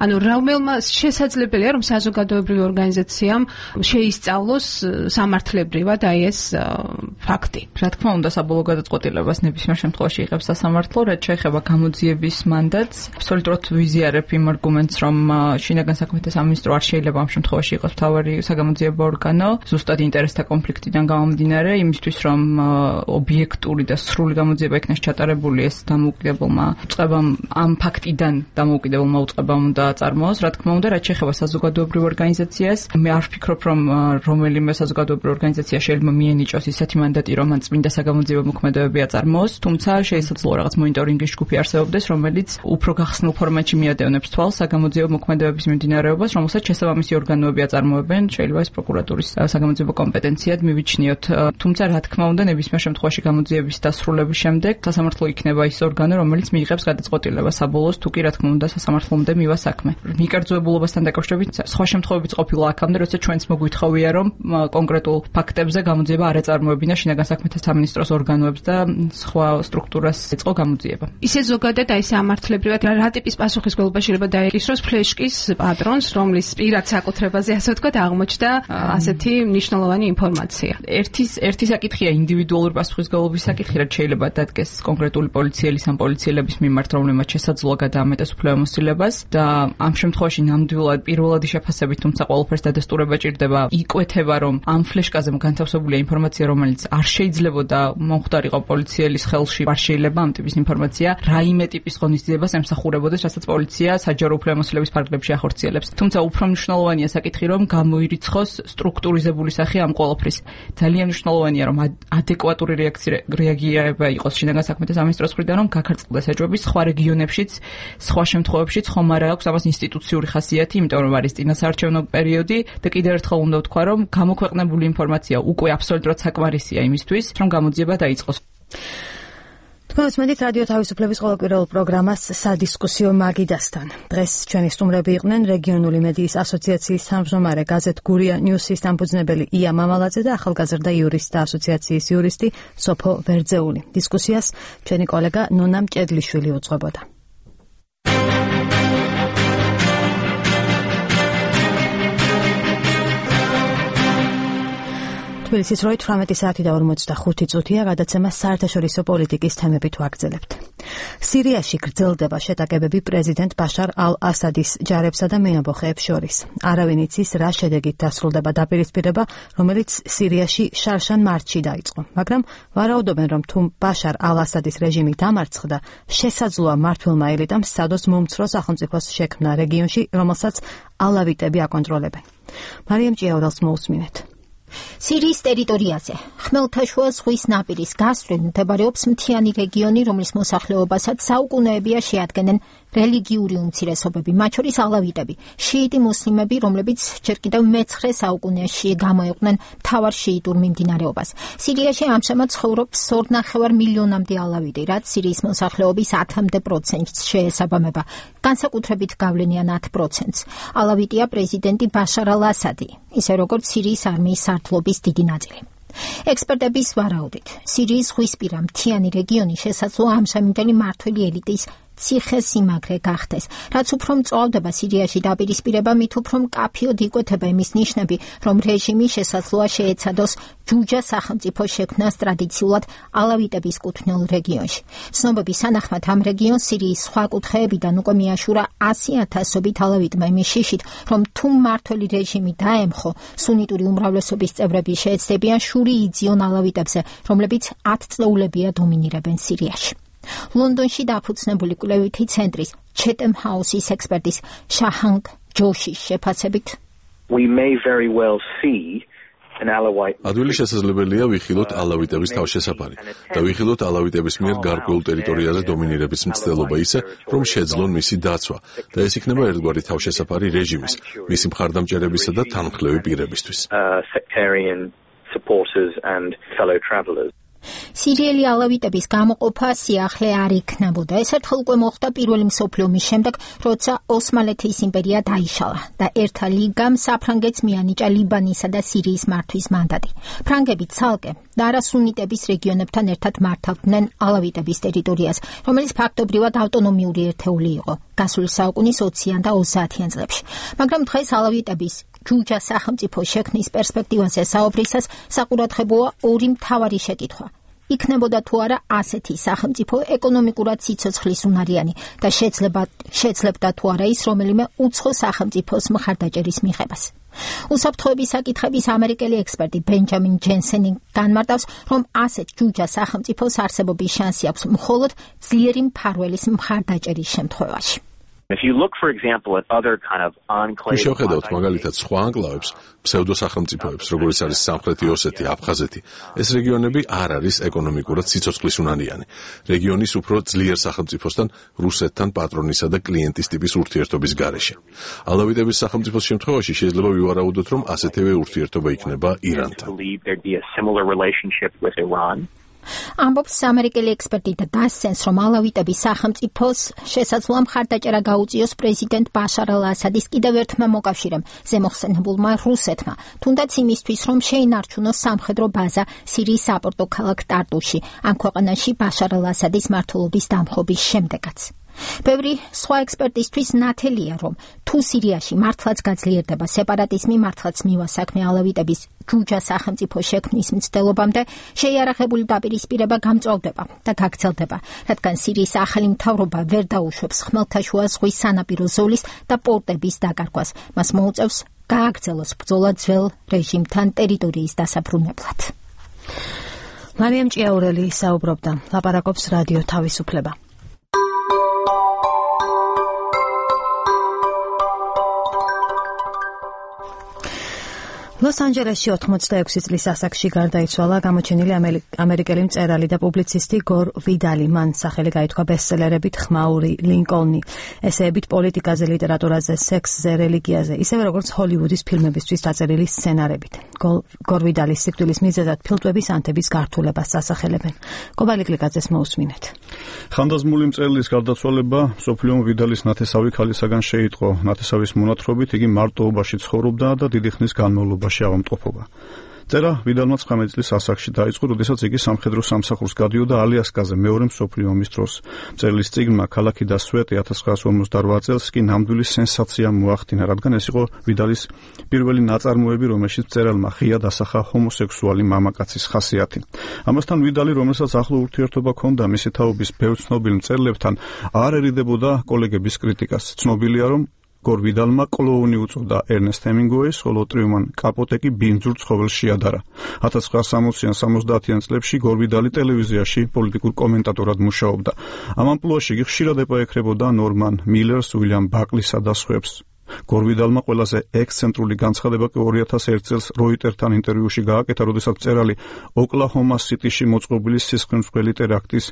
ანუ რომელმა შესაძლებელია, რომ საზოგადოებრივი ორგანიზაციამ შეისწავლოს სამართლებრივად აი ეს ფაქტი. რა თქმა უნდა, საბოლოო გადაწყვეტილებას ნებისმიერ შემთხვევაში იღებს სასამართლო, რაც შეეხება გამოძიების მანდატს. აბსოლუტურად ვიზიარებ იმ არგუმენტს, რომ შინაგან საქმეთა სამინისტრო არ შეიძლება ამ შემთხვევაში იყოს მთავარი საგამოძიებო ორგანო, ზუსტად ინტერესთა კონფლიქტიდან გამომდინარე, იმისთვის რომ ობიექტური და სრული გამოძიება იქნას ჩატარებული, ეს დამოუკიდებელმა უწყებამ ამ ფაქტიდან დამოუკიდებელმა უწყებამ უნდა აწარმოოს. რა თქმა უნდა, რაც შეეხება საზოგადოებრივ ორგანიზაციას, მე არ ვფიქრობ, რომ რომელიმე საზოგადოებრივ ორგანიზაცია შეიძლება მიენიჭოს ისეთი მანდატი, რომ მან წმინდა საგამოძიებო მოქმედებები აწარმოოს, თუმცა შესაძლოა რაღაც მონიტორინგის ჯგუფი არსებობდეს, რომელიც უფრო გახსნილ ფორმატში მიადევნებს თვალს საგამოძიებო მოქმედებების მიმდინარეობას, რომელსაც შესაბამისი ორგანო ორგანოები აწარმოებენ, შეიძლება ეს პროკურატურის საგამოძიებო კომპეტენციად მივიჩნიოთ. თუმცა რა თქმა უნდა, ნებისმიერ შემთხვევაში გამოძიების დასრულების შემდეგ სასამართლო იქნება ის ორგანო, რომელიც მიიღებს გადაწყვეტილებას საბოლოოს, თუ კი რა თქმა უნდა სასამართლომდე მივა საქმე. მიკერძოებულობასთან დაკავშირებით სხვა შემთხვევებიც ყოფილა აქამდე, როცა ჩვენც მოგვითხავია, რომ კონკრეტულ ფაქტებზე გამოძიება არ აწარმოებინა შინაგან საქმეთა სამინისტროს ორგანოებს და სხვა სტრუქტურას ეწყო გამოძიება. ისე ზოგადად აი სამართლებრივად რა ტიპის პასუხისმგებლობა შეიძლება დაეკისროს ფლეშკის პატრონს, რომლის პირად საკუთრებაზე ასე ვთქვათ აღმოჩნდა ასეთი მნიშვნელოვანი ინფორმაცია. ერთის ერთი საკითხია ინდივიდუალური პასუხისმგებლობის საკითხი, რაც შეიძლება დადგეს კონკრეტული პოლიციელის ან პოლიციელების მიმართ, რომლებმაც შესაძლოა გადაამეტეს უფლებამოსილებას და ამ შემთხვევაში ნამდვილად პირველადი შეფასებით, თუმცა ყველაფერს დადასტურება ჭირდება, იკვეთება, რომ ამ ფლეშკაზე განთავსებულია ინფორმაცია, რომელიც არ შეიძლებოდა მომხდარიყო პოლიციელის ხელში, არ შეიძლება ამ ტიპის ინფორმაცია რაიმე ტიპის ღონისძიებას ემსახურებოდეს, რასაც პოლიცია საჯარო უფლებამოსილების ფარგლებში ახორციელებს. თუმცა უფრო მნიშვნელოვანია საკითხი, რომ გამოირიცხოს სტრუქტურიზებული სახე ამ ყველაფრის. ძალიან მნიშვნელოვანია, რომ ადეკვატური რეაგირება იყოს შინაგან საქმეთა სამინისტროს მხრიდან, რომ გაქარწყდეს ეჭვები სხვა რეგიონებშიც, სხვა შემთხვევებშიც ხომ არა აქვს ამას ინსტიტუციური ხასიათი, იმიტომ რომ არის წინასაარჩევნო პერიოდი და კიდევ ერთხელ უნდა ვთქვა, რომ გამოქვეყნებული ინფორმაცია უკვე აბსოლუტურად საკმარისია იმისთვის, რომ გამოძიება დაიწყოს. თქვენს მედით რადიო თავისუფლების ყოველკვირეულ პროგრამას სადისკუსიო მაგიდასთან. დღეს ჩვენი სტუმრები იყვნენ რეგიონული მედიის ასოციაციის თავმჯდომარე გაზეთ გურია ნიუსის დამფუძნებელი ია მამალაძე და ახალგაზრდა იურისტთა ასოციაციის იურისტი სოფო ვერძეული. დისკუსიას ჩვენი კოლეგა ნონა მჭედლიშვილი უძღვებოდა. თბილისის როი თვრამეტი საათი და ორმოცდახუთი წუთია, გადაცემა საერთაშორისო პოლიტიკის თემებით ვაგრძელებთ. სირიაში გრძელდება შეტაკებები პრეზიდენტ ბაშარ ალ-ასადის ჯარებსა და მეამბოხეებს შორის. არავინ იცის, რა შედეგით დასრულდება დაპირისპირება, რომელიც სირიაში შარშან მარტში დაიწყო. მაგრამ ვარაუდობენ, რომ თუ ბაშარ ალ-ასადის რეჟიმი დამარცხდა, შესაძლოა მმართველმა ელიტამ სადოს მომცრო სახელმწიფოს შექმნა რეგიონში, რომელსაც ალავიტები აკონტროლებენ. მარიამ ჭიაურელს მოусმინეთ. სირიის ტერიტორიაზე, ხმელთაშუა ზღვის ნაპირის გასწვრივ მდებარეობს მთიანი რეგიონი, რომლის მოსახლეობასაც საუკუნეებია შეადგენენ რელიგიური უმცირესობები, მათ შორის ალავიტები, შიიტი მუსლიმები, რომლებიც ჯერ კიდევ მეცხრე საუკუნეში გამოიყვნენ მთავარ შიიტურ მიმდინარეობას. სირიაში ამჟამად ცხოვრობს ორნახევარ მილიონამდე ალავიტი, რაც სირიის მოსახლეობის ათამდე პროცენტს შეესაბამება, განსაკუთრებით გავლენიან ათ პროცენტს. ალავიტია პრეზიდენტი ბაშარ ალ-ასადი, ისე როგორც სირიის არმიის სარდლობის დიდი ნაწილი. ექსპერტების ვარაუდით, სირიის ზღვისპირა მთიანი რეგიონი შესაძლოა ამჟამინდელი მმართველი ელიტის ციხე-სიმაგრე გახდეს. რაც უფრო მწვავდება სირიაში დაპირისპირება, მით უფრო მკაფიოდ იკვეთება იმის ნიშნები, რომ რეჟიმი შესაძლოა შეეცადოს ჯუჯა სახელმწიფო შექმნას ტრადიციულად ალავიტების კუთვნილ რეგიონში. ცნობების თანახმად ამ რეგიონს სირიის სხვა კუთხეებიდან უკვე მიაშურა ასი ათასობით ალავიტმა იმის შიშით, რომ თუ მმართველი რეჟიმი დაემხო, სუნიტური უმრავლესობის წევრები შეეცდებიან შური იძიონ ალავიტებზე, რომლებიც ათწლეულებია დომინირებენ სირიაში. ლონდონში დაფუძნებული კვლევითი ცენტრის ჩეტემ ჰაუსის ექსპერტის შაჰანგ ჯოშის შეფასებით, we may very well see ადვილი შესაძლებელია ვიხილოთ ალავიტების თავშესაფარი და ვიხილოთ ალავიტების მიერ გარკვეულ ტერიტორიაზე დომინირების მცდელობა ისე, რომ შეძლონ მისი დაცვა და ეს იქნება ერთგვარი თავშესაფარი რეჟიმის, მისი მხარდამჭერებისა და თანმხლევი პირებისთვის. სირიელი ალავიტების გამოყოფა სიახლე არ იქნებოდა. ეს ერთხელ უკვე მოხდა პირველი მსოფლიო ომის შემდეგ, როცა ოსმალეთის იმპერია დაიშალა და ერთა ლიგამ საფრანგეთს მიანიჭა ლიბანისა და სირიის მართვის მანდატი. ფრანგები ცალკე და არასუნიტების რეგიონებთან ერთად მართავდნენ ალავიტების ტერიტორიას, რომელიც ფაქტობრივად ავტონომიური ერთეული იყო გასული საუკუნის ოციან და ოცდაათიან წლებში. მაგრამ დღეს ალავიტების ჯუჯა სახელმწიფო შექმნის პერსპექტივაზე საუბრისას საყურადღებოა ორი მთავარი შეკითხვა. იქნებოდა თუ არა ასეთი სახელმწიფო ეკონომიკურად სიცოცხლის უნარიანი და შეძლება შეძლებდა თუ არა ის რომელიმე უცხო სახელმწიფოს მხარდაჭერის მიღებას. უსაფრთხოების საკითხების ამერიკელი ექსპერტი ბენჯამინ ჯენსენი განმარტავს, რომ ასეთ ჯუჯა სახელმწიფოს არსებობის შანსი აქვს მხოლოდ ძლიერი მფარველის მხარდაჭერის შემთხვევაში. If you look, for example, at other kind of enclaves, შევხედავთ მაგალითად სხვა ანკლავებს, ფსევდოსახელმწიფოებს, როგორიც არის სამხრეთი ოსეთი, აფხაზეთი. ეს რეგიონები არ არის ეკონომიკურად სიცოცხლისუნანიანი. რეგიონის უფრო ძლიერ სახელმწიფოსთან, რუსეთთან პატრონისა და კლიენტის ტიპის ურთიერთობის გარეშე. ალავიტების სახელმწიფოს შემთხვევაში შეიძლება ვივარაუდოთ, რომ ასეთივე ურთიერთობა იქნება ირანთან. ამბობს ამერიკელი ექსპერტი და დასცენს, რომ ალავიტების სახელმწიფოს შესაძლოა მხარდაჭერა გაუწიოს პრეზიდენტ ბაშარ ალ-ასადის კიდევ ერთმა მოკავშირემ, ზემოხსენებულმა რუსეთმა, თუნდაც იმისთვის, რომ შეინარჩუნოს სამხედრო ბაზა სირიის საპორტო ქალაქ ტარტუში, ამ ქვეყანაში ბაშარ ალ-ასადის მმართველობის დამხობის შემდეგაც. ბევრი სხვა ექსპერტისთვის ნათელია, რომ თუ სირიაში მართლაც გაძლიერდება სეპარატიზმი, მართლაც მივა საქმე ალავიტების ჯუჯა სახელმწიფო შექმნის მცდელობამდე, შეიარაღებული დაპირისპირება გამწვავდება და გაგრძელდება, რადგან სირიის ახალი მთავრობა ვერ დაუშვებს ხმელთაშუა ზღვის სანაპირო ზოლის და პორტების დაკარგვას. მას მოუწევს გააგრძელოს ბრძოლა ძველ რეჟიმთან ტერიტორიის დასაბრუნებლად. მარიამ ჭიაურელი საუბრობდა, ლაპარაკობს რადიო თავისუფლება. ლოს-ანჯელესში ოთხმოცდაექვსი წლის ასაკში გარდაიცვალა გამოჩენილი ამერიკელი მწერალი და პუბლიცისტი გორ ვიდალი. მან სახელი გაითქვა ბესტსელერებით ხმაური, ლინკოლნი, ესეებით პოლიტიკაზე, ლიტერატურაზე, სექსზე, რელიგიაზე, ისევე როგორც ჰოლივუდის ფილმებისთვის დაწერილი სცენარებით. გორ ვიდალის სიკვდილის მიზეზად ფილტვების ანთების გართულებას ასახელებენ. კობალი კლიკაძეს მოусმინეთ. ხანდაზმული მწერლის გარდაცვალება მსოფლიომ ვიდალის ნათესავი ქალისაგან შეიტყო. ნათესავის მონათხრობით იგი მარტოობაში ცხოვრობდა და დიდი ხნის განმავლობაში ავადმყოფობა. წერა ვიდალმა ცხრამეტი წლის ასაკში დაიწყო, როდესაც იგი სამხედრო სამსახურს გადიოდა ალიასკაზე მეორე მსოფლიო ომის დროს. მწერლის წიგნმა ქალაქი და სვეტი ათას ცხრაასი ორმოცდარვა წელს კი ნამდვილი სენსაცია მოახდინა, რადგან ეს იყო ვიდალის პირველი ნაწარმოები, რომელშიც მწერალმა ღია დასახა ჰომოსექსუალი მამაკაცის ხასიათი. ამასთან ვიდალი, რომელსაც ახლო ურთიერთობა ჰქონდა მისი თაობის ბევრ ცნობილ მწერლებთან, არ ერიდებოდა კოლეგების კრიტიკას. ცნობილია, რომ გორ ვიდალმა კლოუნი უწოდა ერნესტ ჰემინგუეის, ხოლო ტრიუმან კაპოტე კი ბინძურ ცხოველს შეადარა. ათას ცხრაასი სამოციან სამოცდაათიან წლებში გორ ვიდალი ტელევიზიაში პოლიტიკურ კომენტატორად მუშაობდა. ამ ამპლუაში იგი ხშირად ეპაექრებოდა ნორმან მილერს, უილიამ ბაკლისა და სხვებს. გორ ვიდალმა ყველაზე ექსცენტრული განცხადება კი ორი ათას ერთი წელს როიტერთან ინტერვიუში გააკეთა, როდესაც მწერალი ოკლაჰომა სიტიში მოწყობილი სისხლმისმღვრელი ტერაქტის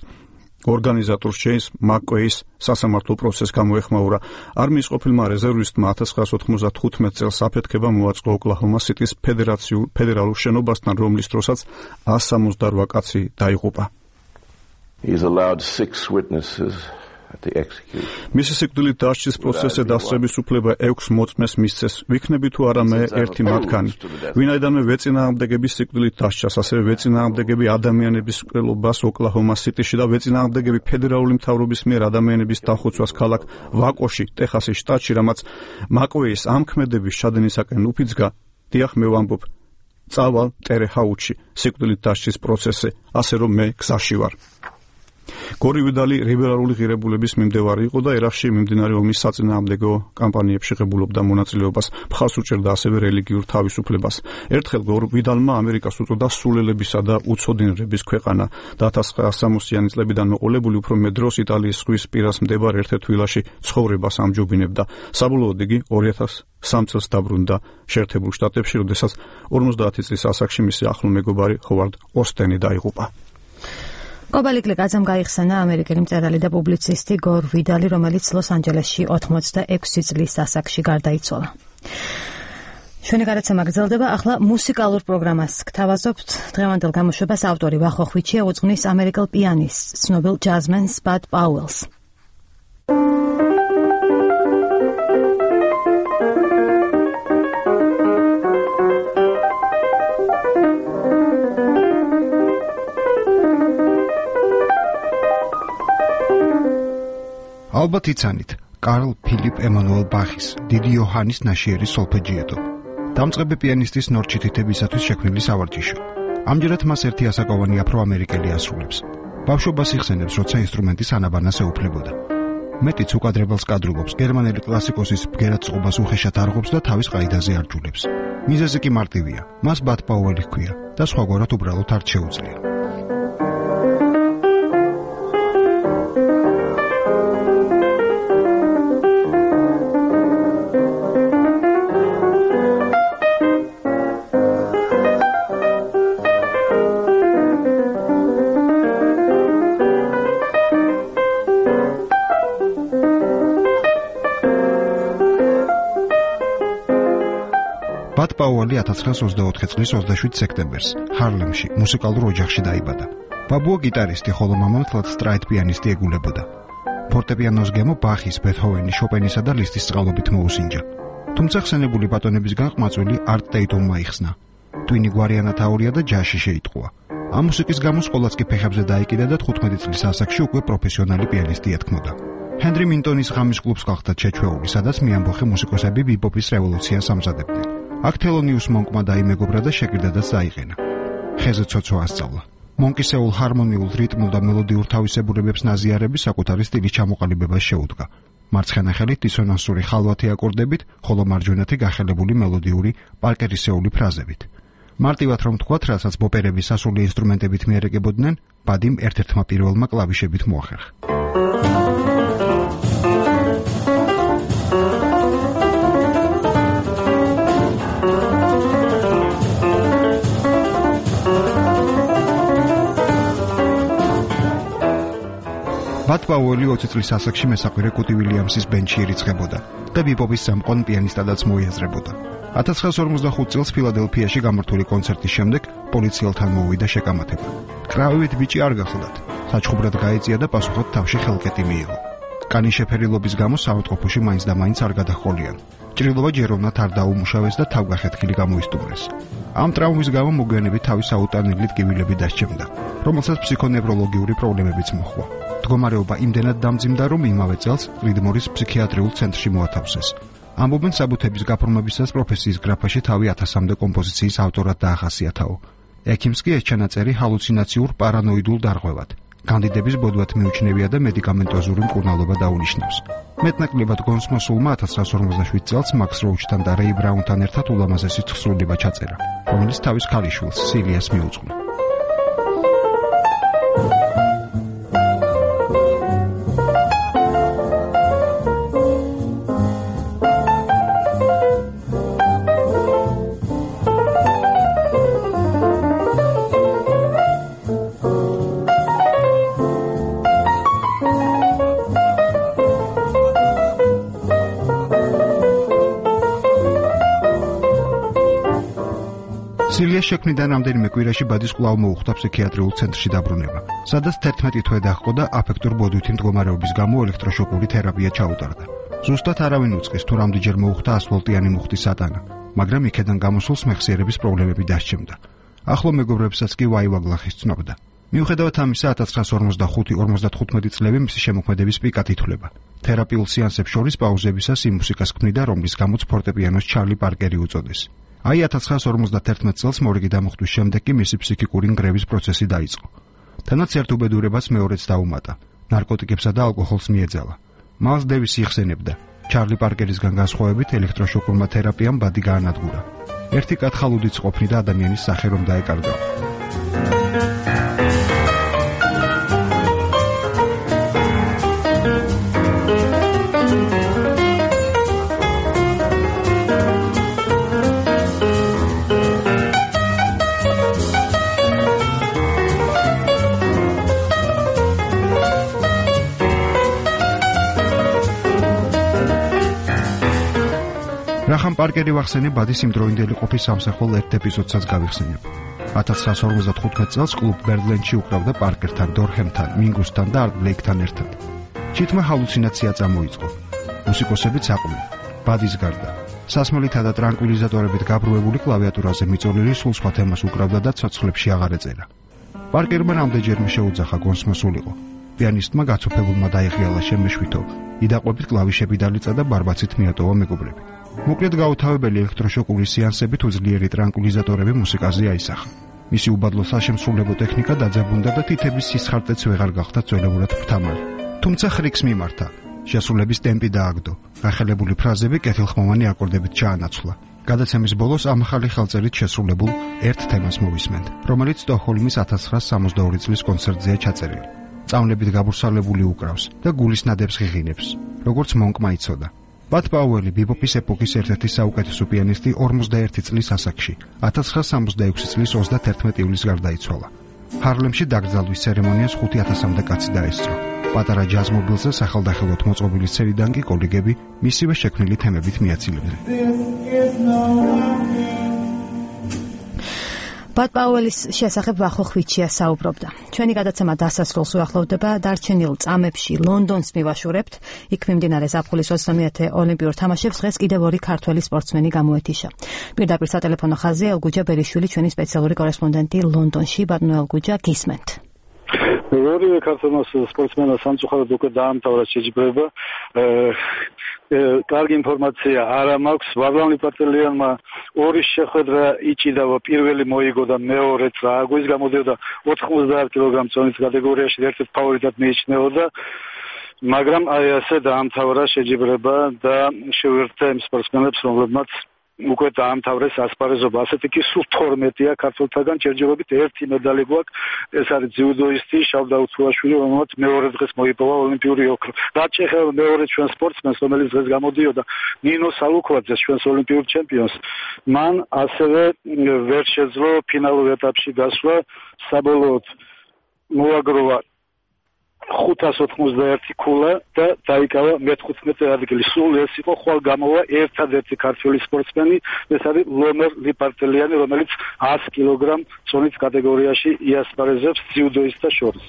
ორგანიზატორს ჯეიმს მაკკვეის სასამართლო პროცესს გამოეხმაურა. არმიის ყოფილმა რეზერვისტმა ათას ცხრაასი ოთხმოცდათხუთმეტ წელს აფეთქება მოაწყო ოკლაჰომა სიტის ფედერაციულ ფედერალურ შენობასთან, რომლის დროსაც ას სამოცდარვა კაცი დაიღუპა. მისი სიკვდილით დასჯის პროცესზე დასწრების უფლება ექვს მოწმეს მისცეს. ვიქნები თუ არა მე ერთი მათგანი. ვინაიდანვე ვეწინააღმდეგების სიკვდილით დასჯას, ასევე ვეწინააღმდეგები ადამიანების მკვლელობას ოკლაჰომა სიტიში და ვეწინააღმდეგები ფედერალური მთავრობის მიერ ადამიანების დახოცვას ქალაქ ვაკოში, ტეხასის შტატში, რამაც მაკვეის ამ ქმედების ჩადენისაკენ უფიძგა. დიახ, მე ვამბობ, წავალ ტერეჰაუჩში სიკვდილით დასჯის პროცესზე, ასე რომ მე გზაში ვარ. გორი ვიდალი ლიბერალური ღირებულების მიმდევარი იყო და ერაყში მიმდინარე ომის საწინააღმდეგო კამპანიებში ღებულობდა მონაწილეობას, მხარს უჭერდა ასევე რელიგიურ თავისუფლებას. ერთხელ გორ ვიდალმა ამერიკას უწოდა სულელებისა და უცოდინრების ქვეყანა და ათას ცხრაასი სამოციანი წლებიდან მოყოლებული უფრო მეტ დროს იტალიის ზღვის პირას მდებარე ერთ-ერთ ვილაში ცხოვრებას ამჯობინებდა. საბოლოოდ იგი ორი ათას სამ წელს დაბრუნდა შეერთებულ შტატებში, როდესაც ორმოცდაათი წლის ასაკში მისი ახლო მეგობარი ჰოვარდ ოსტენი დაიღუპა. კობალი კლიკაძემ გაიხსენა ამერიკელი მწერალი და პუბლიცისტი გორ ვიდალი, რომელიც ლოს-ანჯელესში ოთხმოცდაექვსი წლის ასაკში გარდაიცვალა. ჩვენი გადაცემა გრძელდება, ახლა მუსიკალურ პროგრამას გთავაზობთ. დღევანდელ გამოშვებას ავტორი ვახო ხვიჩია უძღვნის ამერიკელ პიანისტს, ცნობილ ჯაზმენს ბად პაუელს. ალბათ იცანით, კარლ ფილიპ ემანუელ ბახის, დიდი იოჰანის ნაშიერის სოლფეჯიეტო. დამწყები პიანისტის ნორჩი თითებისათვის შექმნილი სავარჯიშო. ამჯერად მას ერთი ასაკოვანი აფრო-ამერიკელი ასრულებს. ბავშვობას იხსენებს, როცა ინსტრუმენტის ანაბანას ეუფლებოდა. მეტიც უკადრებელს კადრობობს, გერმანელი კლასიკოსის ბგერად წყობას უხეშად არღობს და თავის ყაიდაზე არჯულებს. მიზეზი კი მარტივია, მას ბად პაუელი ჰქვია და სხვაგვარად უბრალოდ არ შეუძლია. ბად პაუელი ათას ცხრაას ოცდაოთხი წლის ოცდაშვიდ სექტემბერს ჰარლემში მუსიკალურ ოჯახში დაიბადა. ბაბუა გიტარისტი, ხოლო მამა მთლად სტრაით პიანისტი ეგულებოდა. ფორტეპიანოს გემო ბახის, ბეთჰოვენის, შოპენისა და ლისტის წყალობით მოუსინჯა. თუმცა ხსენებული ბატონებისგან ყმაწვილი არტ ტეიტუმმა იხსნა. ტვინი გვარიანად აურია და ჯაზში შეიტყუა. ამ მუსიკის გამო სკოლაც კი ფეხებზე დაიკიდა და თხუთმეტი წლის ასაკში უკვე პროფესიონალი პიანისტი ეთქმოდა. ჰენრი მინტონის ღამის კლუბს გახდა შეჩვეული, სადაც მიამბოხე მუსიკოსები ბიბოპის რევოლუციას ამზადებდნენ. აქ თელონიუს მონკმა დაიმეგობრა და შეკრდადაც დაიყენა. ხეზე ცოცვა ასწავლა. მონკისეულ ჰარმონიულ რიტმულ და მელოდიურ თავისებურებებს ნაზიარები საკუთარი სტილის ჩამოყალიბებას შეუდგა. მარცხენა ხელით დისონანსური ხალვათი აკორდებით, ხოლო მარჯვენათი გახელებული მელოდიური პარკერისეული ფრაზებით. მარტივად რომ თქვათ, რასაც ბოპერები სასული ინსტრუმენტებით მიერეგებოდნენ, ბადიმ ერთ-ერთმა პირველმა კლავიშებით მოახერხა. ბად პაუელი ოცი წლის ასაკში მესაყვირე კუტი ვილიამსის ბენდში ირიცხებოდა და ბიბოპის სამყონ პიანისტადაც მოიაზრებოდა. ათას ცხრაას ორმოცდახუთ წელს ფილადელფიაში გამართული კონცერტის შემდეგ პოლიციელთან მოუვიდა შეკამათება. კრავივით ბიჭი არ გახლდათ. საჩხუბრად გაეწია და პასუხად თავში ხელკეტი მიიღო. კანის შეფერილობის გამო საავადმყოფოში მაინც და მაინც არ გადახოლიან. ჭრილობა ჯეროვნად არ დაუმუშავეს და თავგახეთქილი გამოისტუმრეს. ამ ტრავმის გამო მოგვიანებით თავის აუტანელი ტკივილები დასჭემდა, რომელსაც ფსიქონევროლოგიური პრობლემებიც მოჰყვა. მდგომარეობა იმდენად დამძიმდა, რომ იმავე წელს რიდმორის ფსიქიატრიულ ცენტრში მოათავსეს. ამბობენ საბუთების გაფორმებისას პროფესიის გრაფაში თავი ათასამდე კომპოზიციის ავტორად დაახასიათაო. ექიმს კი ეს ჩანაწერი ჰალუცინაციურ პარანოიდულ დარღვევად, კანდიდების ბოდვად მიუჩნევია და მედიკამენტოზური მკურნალობა დაუნიშნავს. მეტნაკლებად გონსმოსულმა ათას ცხრაას ორმოცდაშვიდ წელს მაქს როუჩთან და რეი ბრაუნთან ერთად ულამაზესი თხზულება ჩაწერა, რომელიც თავის ქალიშვილს სილიას მიუძღვნა. სილიას შექმნიდან რამდენიმე კვირაში ბადის კვლავ მოუხდა ფსიქიატრიულ ცენტრში დაბრუნება, სადაც თერთმეტი თვე დაჰყო და აფექტურ ბოდვითი მდგომარეობის გამო ელექტროშოკური თერაპია ჩაუტარდა. ზუსტად არავინ უწყის, თუ რამდენჯერ მოუხდა ასფალტიანი მუხტის ატანა, მაგრამ იქედან გამოსულს მეხსიერების პრობლემები დასჭემდა. ახლო მეგობრებსაც კი ვაივაგლახის ცნობდა. მიუხედავად ამისა, ათას ცხრაას ორმოცდახუთი ორმოცდათხუთმეტი წლები მისი შემოქმედების პიკად ითვლება. თერაპიულ სეანსებს შორის პაუზებისას იმ მუსიკას ქმნიდა, რომლის გამოც ფორტეპიანოს ჩარლი პარკერი უწოდეს. აი ათას ცხრაას ორმოცდათერთმეტ წელს მორიგი დამუხტვის შემდეგ კი მისი ფსიქიკური ნგრევის პროცესი დაიწყო. თანაც ერთ უბედურებას მეორეც დაუმატა, ნარკოტიკებსა და ალკოჰოლს მიეძალა. მალს დევის იხსენებდა. ჩარლი პარკერისგან განსხვავებით ელექტროშოკურმა თერაპიამ ბადი გაანადგურა. ერთი კათხალუდიც ყოფნი და ადამიანის სახე რომ დაეკარგა. რახან პარკერი ვახსენე ბადის იმდროინდელი ყოფის სამსახურ ერთ ეპიზოდსაც გავიხსენებ. ათას ცხრაას ორმოცდათხუთმეტ წელს კლუბ ბერლენში უკრავდა პარკერთან, დორჰემთან, მინგუსთან და არტ ბლეიკთან ერთად. ჩიტმა ჰალუცინაცია წამოიწყო. მუსიკოსებიც აყვნენ. ბადის გარდა სასმელითა და ტრანკვილიზატორებით გაბრუებული კლავიატურაზე მიწოლილი სულ სხვა თემას უკრავდა და ცოცხლებში აღარ ეწერა. პარკერმა რამდენჯერმე შეუძახა გონსმოსულიყო. პიანისტმა გაცოფებულმა დაიხიალა შემეშვითო, იდაყვებით კლავიშები დალიწა და ბარბაცით მიატოვა მეგობრები. მოკლედ გაუთავებელი ელექტროშოკური სეანსებით უძლიერი ტრანკვილიზატორები მუსიკაზე აისახა. მისი უბადლო საშემსრულებო ტექნიკა დაძაბუნდა და თითების სისხარტეც ვეღარ გახდა ძველებურად ფრთამალი. თუმცა ხრიქს მიმართა. შესრულების ტემპი დააგდო. გახელებული ფრაზები კეთილხმოვანი აკორდებით ჩაანაცვლა. გადაცემის ბოლოს ამ ახალი ხელწერით შესრულებულ ერთ თემას მოვისმენთ, რომელიც სტოკჰოლმის ათას ცხრაას სამოცდაორი წლის კონცერტზეა ჩაწერილი. წამლებით გაბურსალებული უკრავს და გულის ნადებს ღიღინებს, როგორც მონკმა იცოდა. ბად პაუელი ბიბოპის ეპოქის ერთ-ერთი საუკეთესო პიანისტი ორმოცდაერთი წლის ასაკში, ათას ცხრაას სამოცდაექვსი წლის ოცდათერთმეტი ივლისს გარდაიცვალა. ჰარლემში დაკრძალვის ცერემონიას ხუთი ათასამდე კაცი დაესწრო. პატარა ჯაზ მობილზე სახელდახელოდ მოწყობილი სცენიდან კი კოლეგები მისივე შექმნილი თემებით მიაცილებდნენ. ბატ პაუელის შესახებ ვახო ხვიჩია საუბრობდა. ჩვენი გადაცემა დასასრულს უახლოვდება. დარჩენილ წამებში ლონდონს მივაშურებთ. იქ მიმდინარე ზაფხულის ოცდამეათე ოლიმპიურ თამაშებს დღეს კიდევ ორი ქართველი სპორტსმენი გამოეთიშა. პირდაპირ სატელეფონო ხაზზე ელგუჯა ბერიშვილი, ჩვენი სპეციალური კორესპონდენტი ლონდონში. ბატონო ელგუჯა, გისმენთ. ორივე ქართველ სპორტსმენს სამწუხაროდ უკვე დაამთავრა შეჯიბრება. კარგი ინფორმაცია არა მაქვს. ვაღლამ ლიპარტელიანმა ორი შეხვედრა იჭიდა, პირველი მოიგო და მეორეც აგვიზ გამოდიოდა ოთხმოცდაათ კილოგრამ წონის კატეგორიაში ერთ-ერთ ფავორიტად მიიჩნეოდა. მაგრამ აი ასე დაამთავრა შეჯიბრება და შევერთდა იმ სპორტსმენებს, რომლებმაც უკვე დაამთავრეს ასპარეზობა. ასეთი კი სულ თორმეტია ქართველთაგან, ჯერჯერობით ერთი медаლი გვაქვს. ეს არის ძიუდოისტი შავდაუთ სულაშვილი, რომელმაც მეორე დღეს მოიპოვა ოლიმპიური ოქრო. რაც შეეხება მეორე ჩვენ სპორტსმენს, რომელიც დღეს გამოდიოდა, ნინო სალუქვაძეს, ჩვენს ოლიმპიურ ჩემპიონს, მან ასევე ვერ შეძლო ფინალურ ეტაპში გასვლა. საბოლოოდ მოაგროვა ხუთას ოცდაერთი ქულა და დაიკავა მეთერთმეტე ადგილი. სულ ეს იყო ხვალ გამოვა ერთადერთი ქართველი სპორტსმენი, ეს არის ლომერ ლიპარტელიანი, რომელიც ას კილოგრამ წონის კატეგორიაში იასპარეზებს ძიუდოისტთა შორის.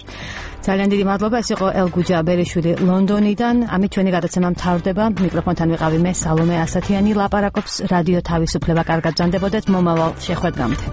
ძალიან დიდი მადლობა. ეს იყო ელგუჯა ბერიშვილი ლონდონიდან. ამით ჩვენი გადაცემა მთავრდება. მიკროფონთან ვიყავი მე სალომე ასათიანი. ლაპარაკობს რადიო თავისუფლება. კარგად ბრძანდებოდეთ მომავალ შეხვედრამდე.